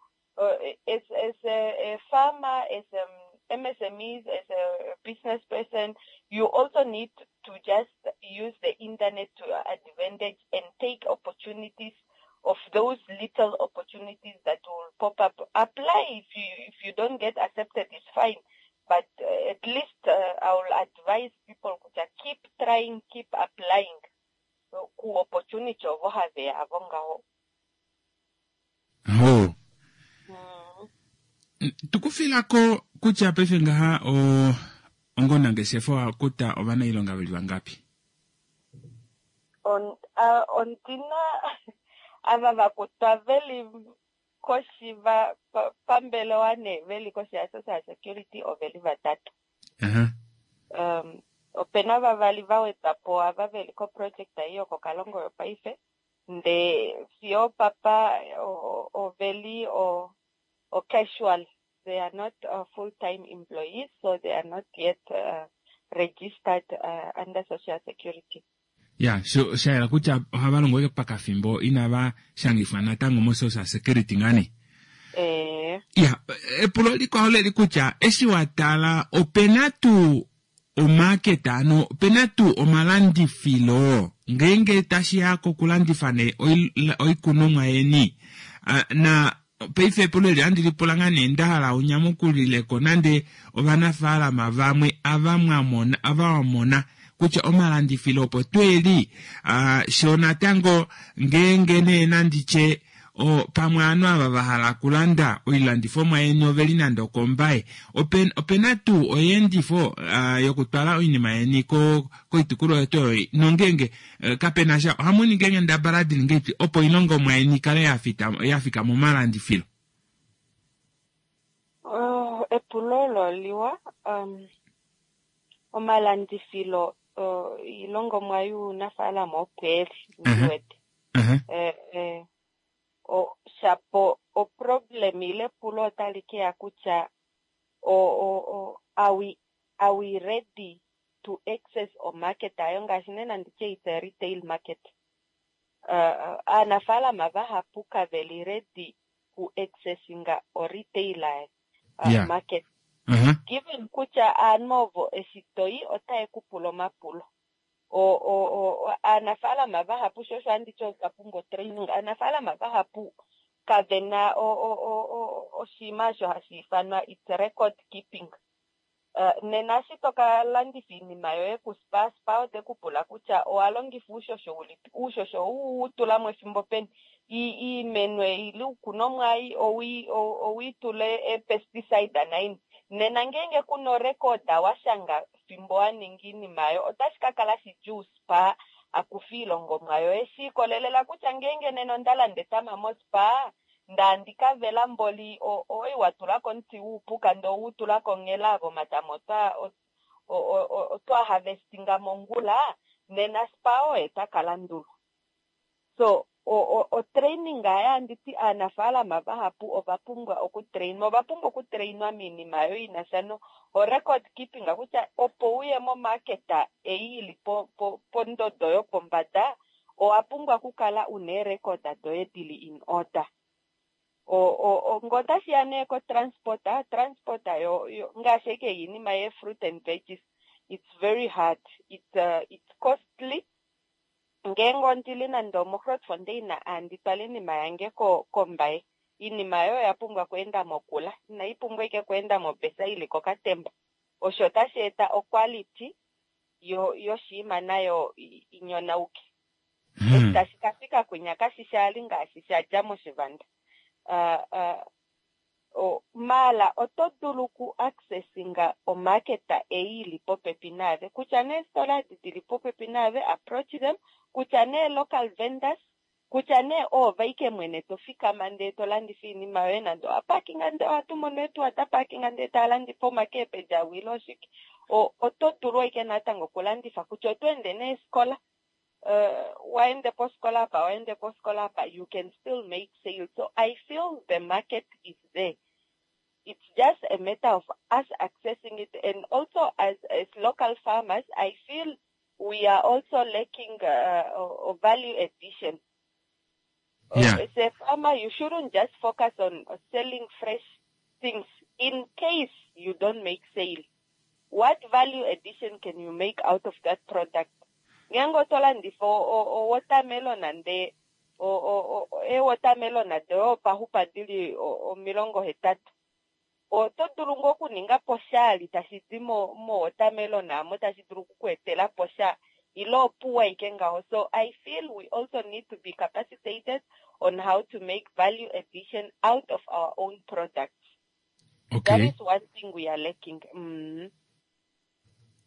as a farmer, as a MSMEs, as a business person, you also need to just use the internet to your advantage and take opportunities of those little opportunities that will pop up. Apply if you don't get accepted, it's fine. But at least I will advise people to keep trying, keep applying ku opportunity ovo have avo ngaho. Ho. Tukufilako kutya paife ngaha ongonangeshefa owa kuta ovanailonga veli vangapi? Ondina ava vakutwa veli koshi pambelewa nee veli koshi ya social security oveli vatatu. Opena vavali va wedwa po ava veli ko project ei yokoKalongo yopaife, ndee fiyo papa oveli o casual, they are not full time employees, so they are not yet registered under social security. Ya, sha yela kutya ohava longo ashike pakafimbo inava shangifwa natango mo social security ngaa nee. Ya, epulo likwao leli kutya eshi wa tala opena tuu omarket ano opena tuu omalandifilo ngeenge tashi ya kokulandifa nee oikunomwa yeni na paife epulo eli ohandi lipula ngaa nee nda hala unyamukulileko nande ovanafaalama vamwe ava mwa mona ava wa mona. kutya omalandifilo opo tweeli sho natango ngeenge nee nanditye o pamwe aanhu ava va hala okulanda oilandifomwa yeni oveli nande okombaye open, opena tuu oyeendifo yokutwala oinima yeni ko koitukulwa yetu oyo nongeenge uh, kapena sha ohamu ningi eenghendabala dili ngeipi opo oilongomwa yeni ikale ya fika momalandifilo? Oh, epulo olo liwa. Um, omalandifilo oilongomwa younafaalama opo eli, ndi wete. Eh, eh, o, shapo oproblem ile epulo otali ke ya kutya o, o, o, are we, are we ready to access o market ayo ngaashi nena nditye it's a retail market. Uh, aanafaalama vahapu kave li ready ku accessinga o retail market. Given kutya aanhu ovo eshi toyi otaye ku pula omapulo. O aanafaalama vahapu sho osho anditi otwa pumbwa training. Aanafaalama vahapu kave na oshinima osho hashi ifanwa it's record keeping. Nena eshi toka landifa iinima yoye ku Spar, Spar ote ku pula kutya owa longifa uushosho ulipi, uushosho ou u tula mo efimbo peni, iimeno ei ile uukunomwa ei owi tule ee-pesticide naini. Nena ngeenge kuna orecord wa shanga fimbo wa ninga iinima ayo, otashi ka kala shidjuu Spar akufe iilongomwa yoye. Shi ikolelela kutya ngeenge nena onda landa etama moSpar, nda ndika vela mboli oi wa tula komuti wuupuka ndee owu tula konghela avo omatama otwa harvestinga mongula, nena Spar oye taka landulwa. So o training ayo anditi aanafaalama vahapu ova pumbwa okutrainwa, ova pumbwa okutrainwa miinima ayo ina sha no o record keeping kutya opo uye mo market ei ili pondodo yopombada owa pumbwa okukala una eerecord doye dili in order. Ngo otashi ya nee ko transport, transport yo, yo ngaashi eke iinima ye fruit and veggies, it's very hard, it's costly. Ngeenge ondili nande omoGrootfontein andi twala iinima yange kombaye, iinima oyo oya pumbwa okuenda mokula, inai pumbwa ike okuenda mobesa ili kokatemba. Osho otashi eta oquality yoshiima nayo inyonauke. Eshi tashi ka fika kwinya kashi shali ngaashi sha dja moshivanda. Maala oto dulu ku accessinga omarket ei ili popepi naave, kutya nee eestola edi dili popepi naave, approach them, kutya nee local vendors, kutya nee oove ike mwene to fikama ndee to landifa iinima yoye nande owa parkinga ndee ohatu mono eetuwa da parkinga ndee taa landifa omakeepeji awile oshike. Oto dulu ike natango okulandifa kutya oto ende neefikola, waende poskola apa, waende poskola apa, you can still make sales. So I feel the market is there. It's just a matter of us accessing it, and also as local farmers, I feel we are also lacking value addition. As a farmer, you shouldn't just focus on selling fresh things in case you don't make sale. What value addition can you make out of that product? Ngeenge oto landifa o-watermelon ndee ee-watermelon doye opaxupa dili 80, oto dulu ngoo okuninga po shali tashi di mo-watermelon amo tashi dulu okukuetela po sha ile opuwa ike ngaho. So I feel we also need to be capacitated on how to make value addition out of our own products. That is one thing we are lacking.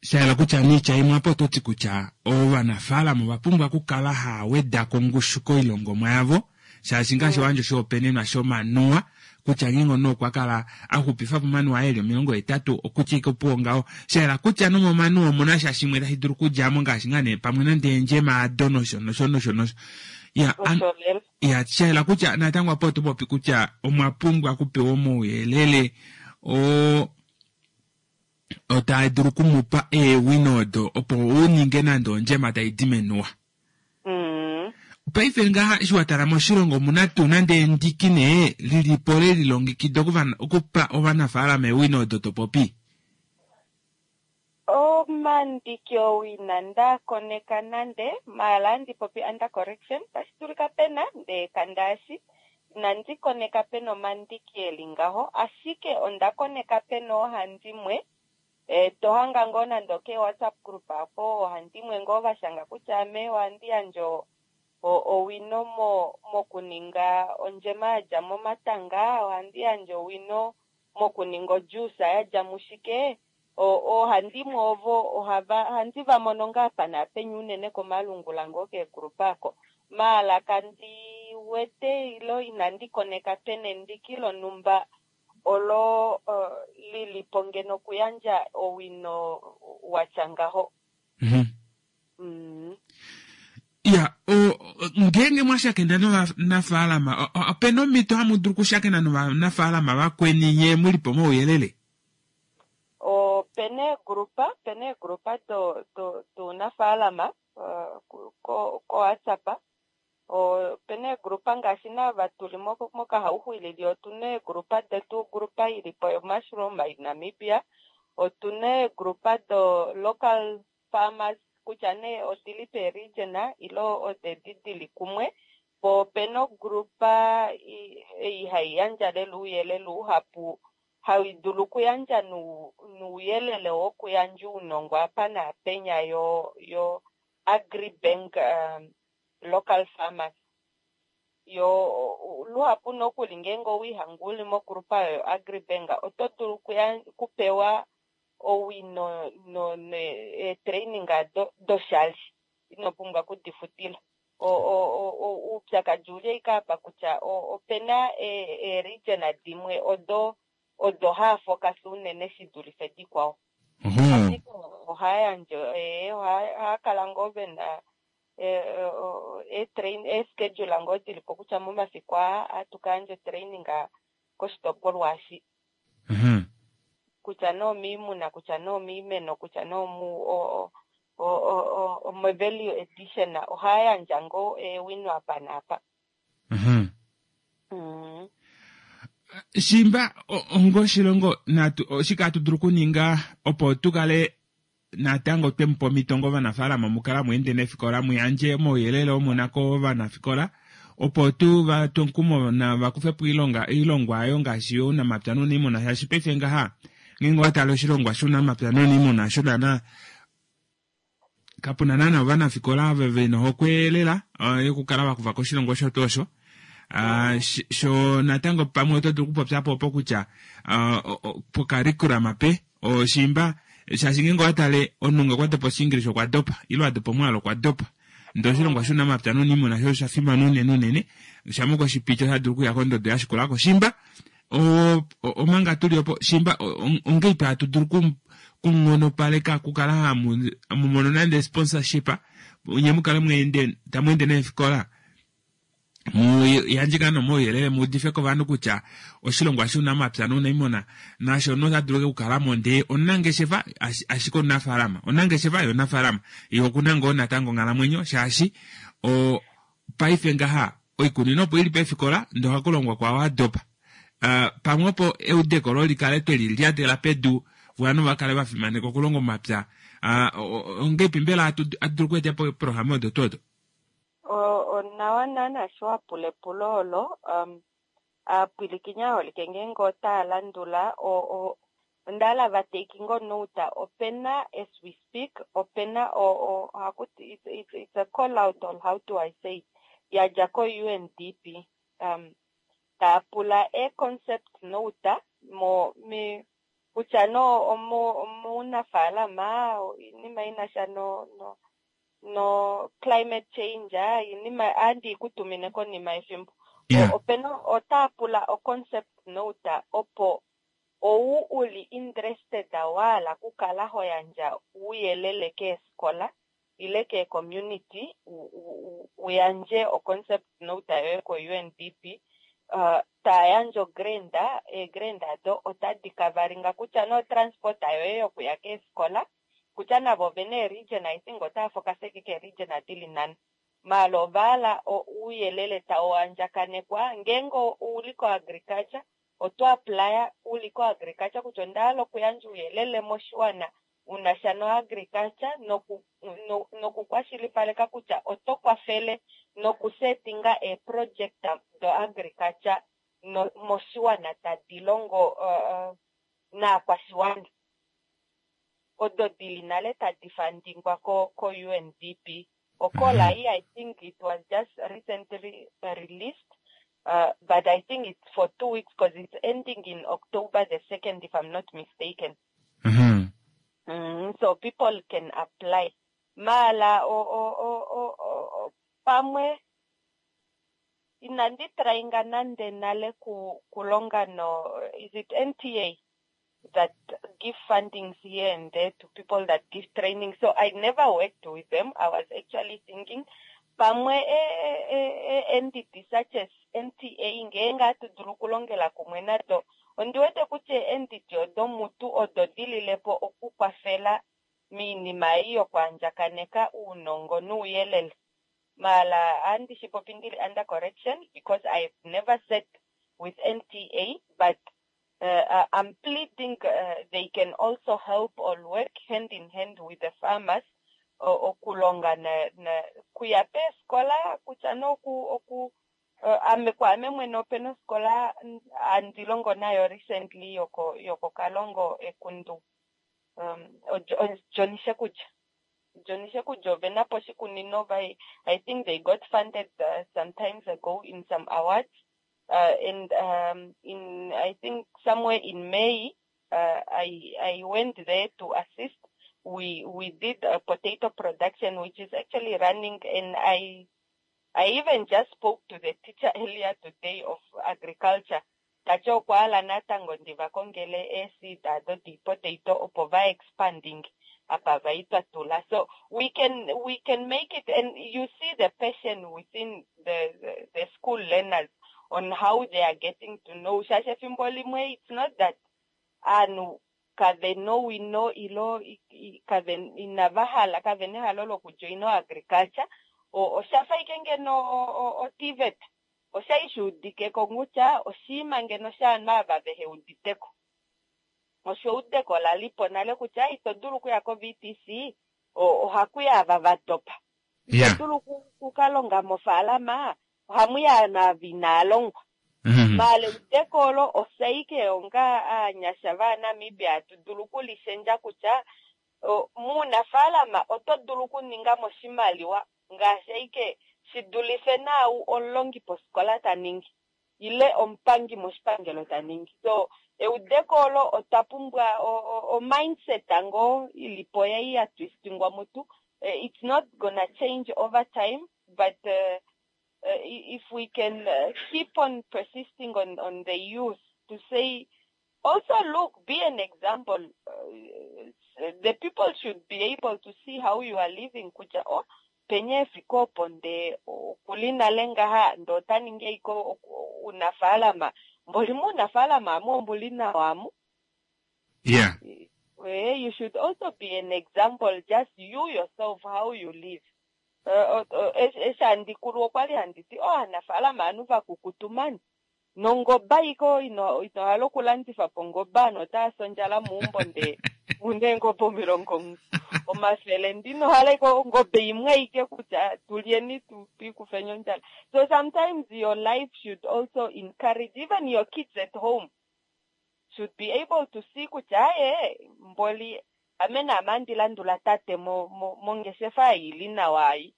Sha yela kutya niitya imwe apa oto ti kutya ovanafaalama ova pumbwa okukala haa weda ko ongushu koilongomwa yavo, shaashi ngaashi wa yandja oshihopaenenwa shomanuwa kutya ngeenge omunhu okwa kala a xupifa po omanuwa aye e li 80 okutya ike opuwo ngaho. Sha yela kutya nomomanuwa omu na sha shimwe tashi dulu okudja mo ngaashi ngaa nee pamwe nande eendjema ado nosho nosho nosho nosho. Ya, an, Osho lela. ya, sha yela kutya natango apa oto popi kutya omwa pumbwa okupewa omauyelele oo otaa dulu oku mu pa eewino odo opo u ninge nande ondjema tai di menuwa. Paife ngaha eshi wa tala moshilongo omuna tuu nande endiki nee lili po le lilongekida okupa ovanafaalama eewino odo to popi? Omandiki owina nda koneka nande, maala andi popi under correction, tashi dulika pena ndee kandaashi inandi koneka pena omandiki eli ngaho, ashike onda koneka pena oohandimwe. To hanga ngoo nande okee WhatsApp group apo ohandimwe ngoo va shanga kutya ame ohandi yandje owino mokuninga ondjema ya dja momatanga, ohandi yandje owino mokuninga ojuice ya dja mushike. Oohandimwe ovo ohava ohandi va mono ngaa apa naapenya unene komalungula ngoo keegroup ako. Maala kandi wete ilo inandi koneka pena endiki lonhumba olo li li po ngeno okuyandja owino wa tya ngaho. Ya, ngeenge mwa shakena novanafaalama, opena omhito hamu dulu okushakena novanafaalama vakweni nye mu li po omauyelele? Opena eegrupa, opena eegrupa dounafaalama koWhatsApp. Opena eegrupa ngaashi naava tuli mOkahauxuilili, otuna eegrupa detu, ogrupa ili po yoMushroom in Namibia, otuna eegrupa do local farmers kutya nee odili peeregion ile odedi dili kumwe, po opena ogrupa ei hai yandja lela ouyelele uhapu, hai dulu okuyandja nouyelele wokuyandja ounongo apa naapenya yo Agribank local farmers. Yo luhapu nokuli ngeenge owiihanga uli mogrupa oyo Agribank oto dulu kupewa owino eetraining doshali, ino pumbwa kudifutila. Oupyakadi uli ashike apa kutya opena eeregion dimwe odo haa focus unene shi dulife dikwao. Ashike ohaa yandje, ohaa kala ngoo vena eeschedule ngoo dili po kutya momafiku aa ohatu ka yandja otraining koshitopolwa eshi. Kutya nee omiimuna, kutya nee omiimeno, kutya nee omo-value addition, ohaa yandja ngoo eewino apa naapa. Shimba ongoshilongo natu oshike hatu dulu okuninga opo tu kale natango twe mu pa omhito ngovanafaalama mu kala mu ende neefikola mu yandje omauyelele omo na kovanafikola opo tu va twe omukumo nava kufe po oilongwa ayo ngaashi younamapya nouniimuna, shaashi paife ngaha ngeenge owa tale oshilongwa shounamapya nouniimuna osho naana kapu na naana ovanafikola ava ve na ohokwe lela yokukala va kufa ko oshilongwa osho tuu osho. Sho natango pamwe oto dulu okupopya po opo kutya pocurriculum pe oshimba, shaashi ngeenge owa tale omunhu nge okwa dopa Oshiingilisa okwa dopa, ile a dopa omwaalu okwa dopa. Ndee oshilongwa shounamapya nouniimuna sho osha fimana unene unene, shamha okwe shi piti ota dulu okuya kondodo ya shikula ko. Shimba omanga tuli opo, shimba ongeipi hatu dulu kunghonopaleka okukala hamu mono nande sponsorship, nye mu kale tamu ende neefikola mu yandje ngaa nomauyelele mu udife kovanhu kutya oshilongwa shounamapya nouniimuna nasho nota dulu okukala mo ndee omunangeshefa ashike omunafaalama, omunangeshefa ye omunafaalama ye okuna ngoo natango onghalamwenyo, shaashi paife ngaha oikunino opo ili peefikola ndee ohaku longwa kwaao a dopa. Pamwe opo eudeko lo likale twe li lyatela pedu ovanhu va kale va fimaneka okulonga omapya. Ongeipi mbela hatu dulu okweeta po eeprograma odo tuu odo? Onawa naana sho wa pula epulo olo. Aapwilikini aaholike ngeenge otaa landula, onda hala va take ngoo note. Opena, as we speak, opena ohaku ti, it's a call out or how do I say it, ya dja ko UNDP, taa pula ee concept note mo, mi, kutya no omuunafaalama, oinima ina sha no, no, no climate change, iinima ohandi i ku tumine konima yefimbo. Opena otaa pula o concept note opo ou u li interested wa hala okukala ho yandja ouyelele keefikola ile keecommunity u yandje o concept note yoye ko UNDP. Taa yandje ogrant, eegrant ado otadi kavalinga kutya no transport yoye yokuya keefikola, kutya navo ovena eeregion, I think otava focus ashike keeregion dili nhano. Maala ova hala ouyelele tau andjakanekwa ngeenge ouli koagriculture, oto applya uli koagriculture kutya onda hala okuyandja ouyelele moshiwana una sha noagriculture nokukwashilipaleka kutya oto kwafele nokusetinga eeproject doagriculture moshiwana tadi longo naakwashiwana. odo dili nale tadi fundingwa ko ko UNDP. Okola I think it was just recently released, but I think it's for 2 weeks because it's ending in October the 2nd, if I'm not mistaken. So people can apply. Mala o o o o, o, o pamwe inandi tryinga nande nale ku kulonga no, is it NTA that give fundings here and there to people that give training? So I never worked with them. I was actually thinking pamwe e, entity such as NTA ngeenge hatu dulu okulongela kumwe nado. Ondi wete kutya entity odo mutu odo dililepo okukwafela miinima ei yokuandjakaneka uunongo nuuyelele. Mala andi shi popi ndili under correction because I've never sat with NTA, but I'm pleading they can also help or work hand in hand with the farmers okulonga na kuya peeskola kutya noku oku ame kwaame mwene opena oskola andi longo nayo recently yoko Kalongo Ekundu, Johnny Shekudja. Johnny Shekudja ovena po oshikunino by, I think they got funded some times ago in some awards, and in I think somewhere in May I went there to assist. We did a potato production which is actually running, and I even just spoke to the teacher earlier today of agriculture. Tati okwa hala natango ndiva kongele eeseed ado diipotato opo va expanding apa vaitwa tula. So we can make it, and you see the passion within the school learners on how they are getting to know. Shaashi efimbo limwe it's not that aanhu kave nowino ilo kave inava hala, kave nehalo lokujoina agriculture. Oshafa ike ngeno oTVET oshai shuudikeko kutya oshiima ngeno shaanhu ava vehe uditeko. Osho eudeko lalipo nale kutya ito dulu okuya ko-VTC, ohakuya ava va dopa. Ito dulu kukalonga mofaalama, ohamuya aanhu ava inaa longwa. Maala eudeko olo osaike onga aanyasha vaNamibia hatu dulu okulishendja kutya muunafaalama oto dulu okuninga mo oshimaliwa ngaashi aike shi dulife naau omulongi posikola ta ningi ile omupangi moshipangelo ta ningi. So eudeko olo otwa pumbwa o mindset ngoo ilipo yai ya twistingwa mutu. It's not gonna change over time, but if we can keep on persisting on the youth to say also, look, be an example. The people should be able to see how you are living kutya oh, penye efiko opo nde okuli nale ngaha nde ota ningi eiko unafaalama mboli muunafaalama amu ombuli nawa amu. You should also be an example, just you yourself, how you live. Eshi handi kulu okwali handi ti oh, aanafaalama aanhu vakukutu mani nongoba iko ino hala okulandifa po ngoba anhu otaya si ondjala muumbo nde muna eengobe 100 ndino hala iko ongobe imwe aike kutya tulyeni tuikufeni ondjala. So sometimes your life should also encourage even your kids at home should be able to see kutya aye mboli ame naame andi landula tate mongeshefa ili nawa ayi.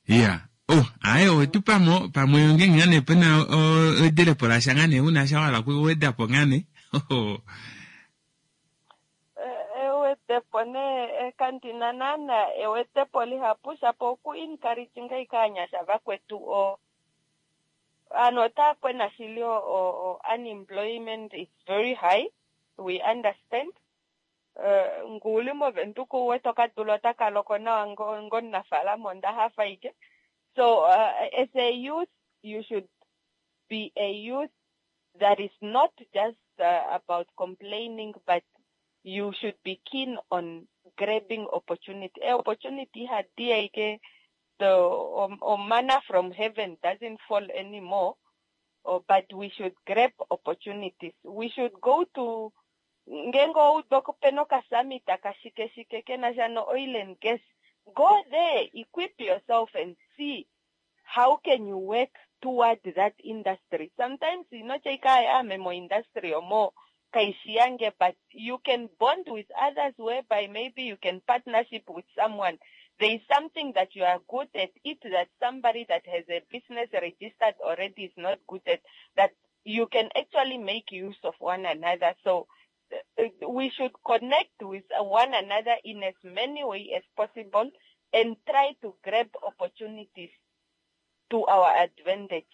Ya, oh aye, owetu pamo pamwe ngenge ngane pena edelepo lasha ngane una sha wala kuwedapo ngane. Ewedepo ne kandina naana ewedepo lihapu shapo oku encourage ngai kaanyasha vakwetu o aanhu otaya kwena shili o unemployment is very high, we understand. Nguli movenduka uwete okadula otaka loko nawa ngomunafaalama onda hafa ike. So as a youth you should be a youth that is not just about complaining, but you should be keen on grabbing opportunity. Opportunity ihadi ike, the manna from heaven doesn't fall anymore, but we should grab opportunities. We should go to ngenge oudo pena okasummit kashike shike kena sha no oil and gas, go there, equip yourself and see how can you work toward that industry. Sometimes inotya ike ame mo industry omo. Kaishi yange, but you can bond with others whereby maybe you can partnership with someone. There is something that you are good at it that somebody that has a business registered already is not good at, that you can actually make use of one another. So we should connect with one another in as many ways as possible and try to grab opportunities to our advantage.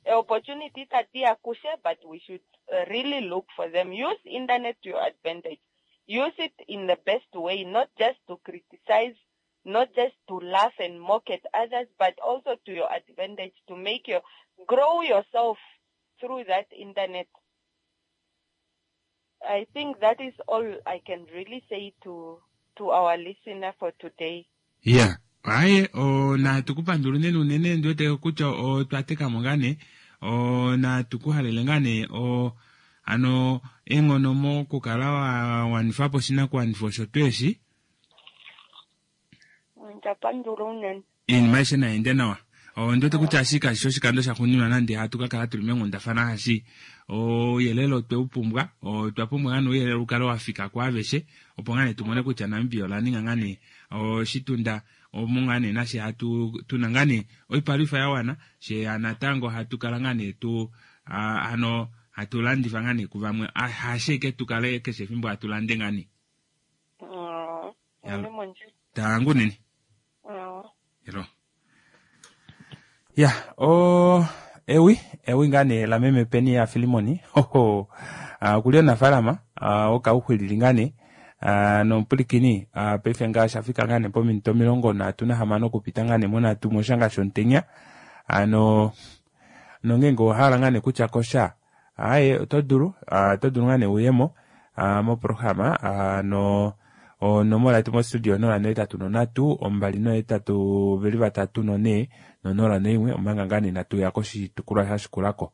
Opportunities itadi ya kushe, but we should really look for them. Use internet to your advantage. Use it in the best way, not just to criticize, not just to laugh and mock at others, but also to your advantage, to make your grow yourself through that internet. I think that is all I can really say to to our listener for today. Ya, aye, o, natu ku pandula unene unene ndi wete kutya otwa teka mo ngaa nee, o, natu ku halele ngaa nee o, ano eenghono mokukala wa wanifa po oshinakuwanifwa osho tuu eshi. Onda pandula unene. Iinima aishe nayi ende nawa. Ondi wete kutya eshi kashi shi oshikando shaxuuninwa nande hatu ka kala tuli meenghundafana shaashi ouyelele otwe u pumbwa. Otwa pumbwa ngaa nee ouyelele u kale wa fika kwaaveshe opo ngaa nee tu mone kutya Namibia ola ninga ngaa nee oshitunda omo ngaa nee nashe hatu tu na ngaa nee oipalwifa ya wana shee natango hatu kala ngaa nee tu hano hatu landifa ngaa nee kuvamwe haashike tu kale keshe efimbo hatu lande ngaa nee. Tangu nini. Hello. Ya, o ewi, ewi ngaa nee lameme Peni ya Filimoni. Hoho. Ah, okuli omunafaalama ah, wokauxwilili ngaa nee ah, nomupulikini ah, paife ngaa osha fika ngaa nee pominute 36 okupita ngaa nee monhatu moshanga shomutenya ano nongeenge owa hala ngaa nee kutya kosha Aaye, oto dulu, oto dulu ngaa nee uyemo moprograma no onomola yetu mostudio 083 2 8 234 no01 omanga ngaa nee inatu ya koshitukulwa sha shikulako.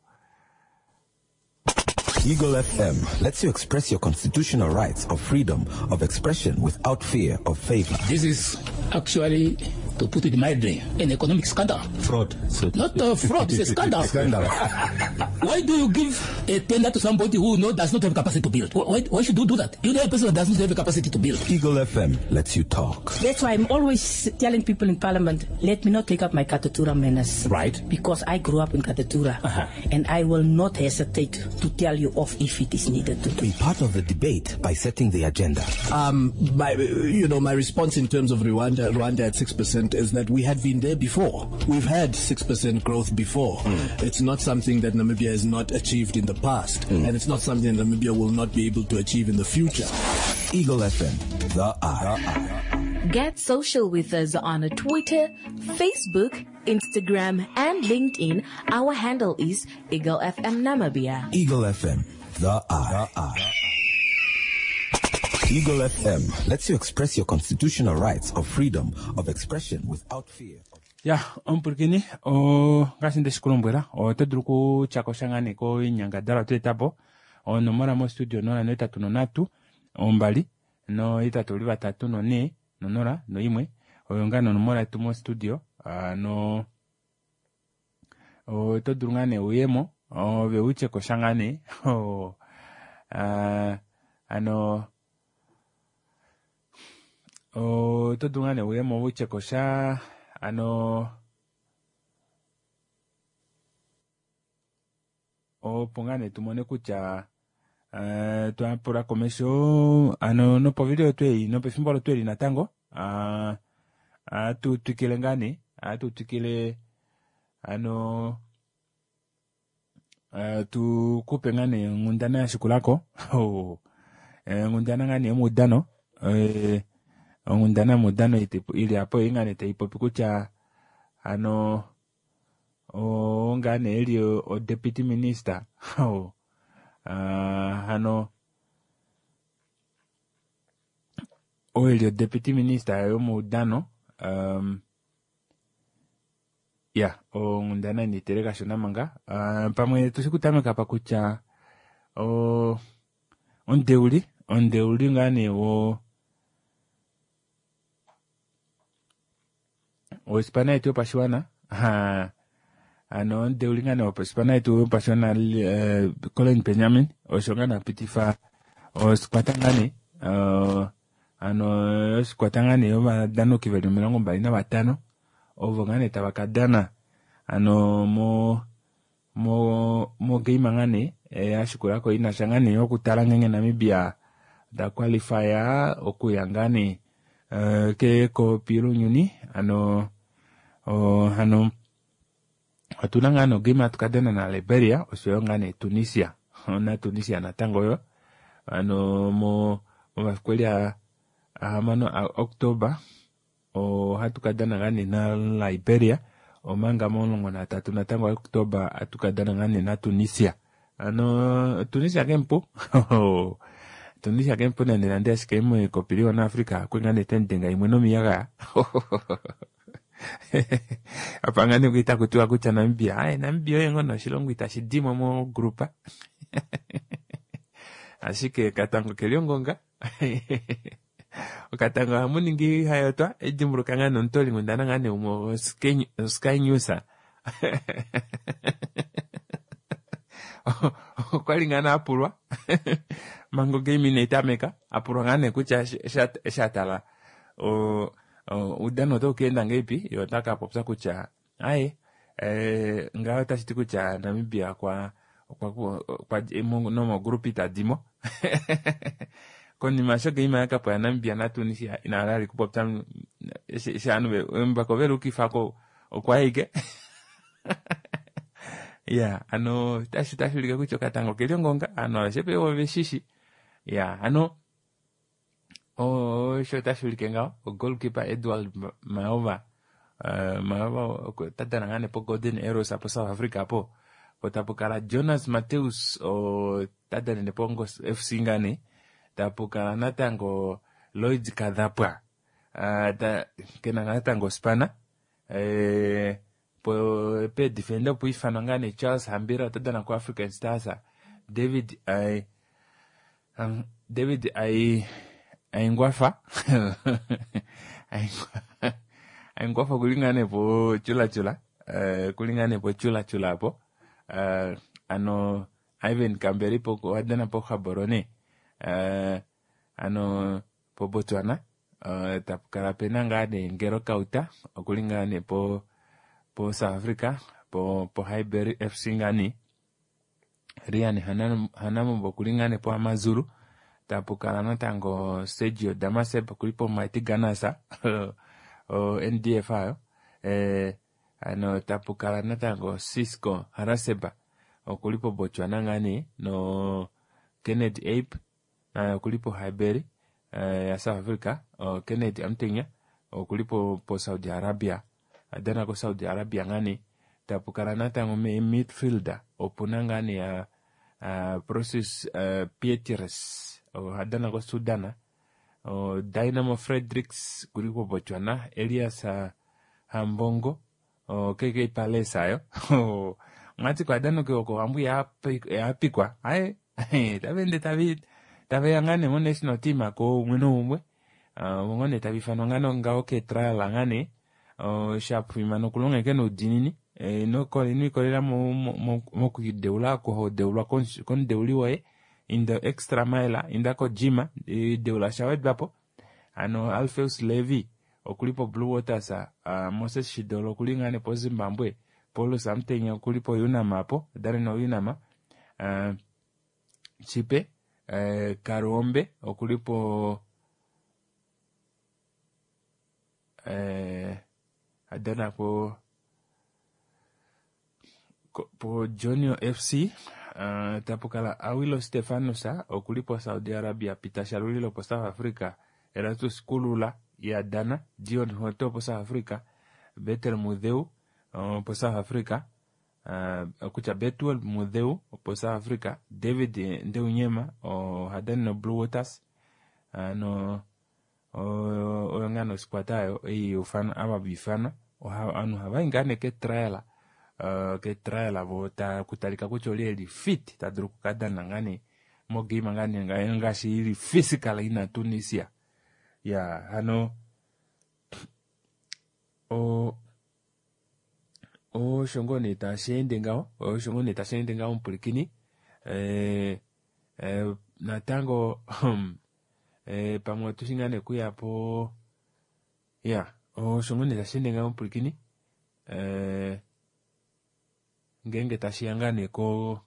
Eagle FM lets you express your constitutional rights of freedom of expression without fear of favor. This is actually, to put it mildly, an economic scandal. Fraud. So Not a fraud, it's a scandal. Scandal. Why do you give a tender to somebody who does not have capacity to build? Why should you do that? You know a person that does not have capacity to build. Eagle FM lets you talk. That's why I'm always telling people in Parliament, let me not take up my Katutura manners. Right. Because I grew up in Katutura. And I will not hesitate to tell you off if it is needed to. Be part of the debate by setting the agenda. My response in terms of Rwanda at 6% is that we had been there before. We've had 6% growth before. It's not something that Namibia has not achieved in the past, and it's not something that Namibia will not be able to achieve in the future. Eagle FM, the eye. Get social with us on Twitter, Facebook, Instagram, and LinkedIn. Our handle is Eagle FM Namibia. Eagle FM, the eye. Eagle FM lets you express your constitutional rights of freedom of expression without fear. Ya, omupwilikini, o, ngaashi nde shi ku lombwela, oto dulu okutya ko sha ngaa nee koinyangadalwa twa eta po. Onomola mostudio 083 2 8 3 4 0 01 oyo ngaa nee onomola yetu mostudio. No oto dulu ngaa nee uyemo ove utye ko sha ngaa nee. Hano oto dulu ngaa nee uyemo utye ko sha ano opo ngaa nee tumone kutya twa pula komesho ano nopovili oyo tweli nopefimbo olo tweli natango ohatu twikile ngaa nee ohatu twikile ano tu kupe ngaa nee onghundana ya shikulako onghundana ngaa nee yomaudano onghundana yomaudano ili apo ei ngaa nee tai popi kutya ano oo ngaa nee eli o deputy minister hano oo eli o deputy minister yomaudano ya onghundana ina itele kashona manga pamwe tushi kutameka pa kutya omudeuli omudeuli ngaa nee wo ospana yetu yopashiwana ha Hano omudeuli ngaa nee wopospana yetu yopashiwana eh, Colin Benjamin osho ngaa nee apitifa osikwata ngaa nee eh, hano osikwata ngaa nee yovadanoki veli 25 ovo ngaa nee tava ka dana hano mo mo mogame ngaa nee eh, yashikulako inasha ngaa nee yokutala ngeenge Namibia ta qualify okuya ngaa nee eh, kekopi lounyuni hano oh, hano otuna ngaa nogame hatu ka dana na Liberia oshoyo ngaa nee Tunisia na Tunisia natango yo ano mo momafiku eli ahamano a October ohatu ka dana ngaa nee na Liberia omanga momulongo natatu natango October hatu ka dana ngaa nee na Tunisia ano Tunisia kemupu Tunisia kemupu nande nande ashike mekopi liwa Africa kwe ngaa nee tenidenga imwe nomiyagaya apa ngaa nee itaku tiwa kutya Namibia aye Namibia oye ngoo noshilongo itashi dimo mogrupa ashike okatango keli ongonga okatango ohamu ningi hayotwa edimbuluka ngaa nomutoolinghundana ngaa nee umwe Sky News okwali ngaa nee apulwa manga ogame inai tameka apulwa ngaa nee kutya eshi atala oudano otau kaenda ngahelipi ye ota kapopya kutya aye eh, ngaho otashi ti kutya Namibia okwa okwa nomogrupa itadimo konima sho game yakapwa yaNamibia naTunisia ina hala ali kupopya eshi ovanhu mbako velukifako okwa ike ya ano otashi ulike kutya okatango keli ongonga ovanhu aveshe pe oveshishi ya ano osho otashi ulike ngaho goalkeeper Edward Maova Maova ota dana ngaa nee po Golden Arrows po South Africa po po tapu kala Jonas Mateus ota danene po Ngos FC ngaa nee tapu kala natango Lloyd Kadhapwa kena natango spana po pe defender opo ifanwa ngaa nee Charles Hambira ota dana ko African Stars David David Aingwafa Aingwafa kuli ngaa nee po chula chula kuli ngaa nee po chula chula po ano Ivan Kamberi po wadana po Gaborone ano po Botswana tapu kala pena ngaa nee Ngero Kauta okuli ngaa nee po po South Africa po po Highbury FC ngaa nee Rian Hanamombo okuli ngaa nee po Amazulu tapu kala natango Sergio Damaseb okuli po Mighty Gunners o NDF ayo ano tapu kala natango Cisco Haraseba okuli po Botswana ngaa nee no Kenneth Ape okuli po Highbury ya South Africa Kenneth Amtenya okuli po po Saudi Arabia adana ko Saudi Arabia ngaa nee tapu kala natango midfielder opuna ngaa nee Prosus Pietres ohadana ko Sudan Dynamo Fredericks kuli ko Botswana Elias Hambongo KK Palace ayo mwati kwa danoke oko ambu yapikwa aye tavende taveya ngaa nee mo national team ako umwe noumwe vongo nee tavifanwa ngaa ngaho ke trial ngaa nee shafimana okulonga noudinini ino ikolelela mokudeula oko hodeulwa komudeuli woye inda extra mile inda ko gym deula shawedwapo ano Alpheus Levy okuli po Blue Waters Moses Shidolo okuli ngaa nee po Zimbabwe Paulus Amtenya okuli po Unam apo dane no Unam Chipe Karuombe okuli po adana po po Junior FC tapu kala Awilo Stefanus okuli po Saudi Arabia Peter Shalulilo po South Africa Erastus Kulula ya dana Dion Hoto po South Africa Betel Mudheu po South Africa kutya Betuel Mudheu po South Africa David Ndeunyema ohadani no Blue Waters no oyo ngaa nosikwata ayo ei ufana ava vifanwa ovanhu ohavayi ngaa nee ke trial ke trial vo kutalika kutya oli eli fit tadulu okukadana ngaa nee mogame ngaa nee ngaashi ili physical ina Tunisia ya hano Osho ngoo nee tashi ende ngaho, osho ngoo nee tashi ende ngaho omupwilikini. Eh, eh, natango eh, pamwe otushi ngaa nee kuya po ya osho ngoo nee tashi ende ngaho omupwilikini. Eh, ngeenge tashi ya ngaa nee ko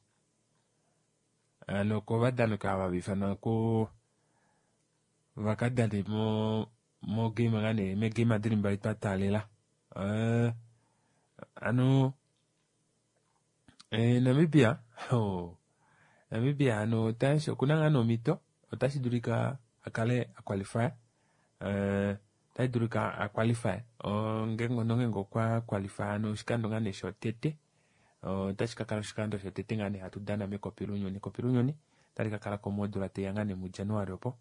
ano kovadani ava hava ifanwa ko vakadane mo mogame ngaa nee meegame dili mbali twa taalela. Eh, ano eh, Namibia oh, Namibia ano otashi okuna ngaa nomhito otashi dulika a kale a qualify eh, otashi dulika a qualify oh, ngeenge nongeenge okwa qualify ano oshikando ngaa nee shotete otashi ka kala oshikando shotete ngaa nee hatu dana mekopi lounyuni. Ekopi lounyuni otali ka kala ko modula taiya ngaa nee muJanuary opo.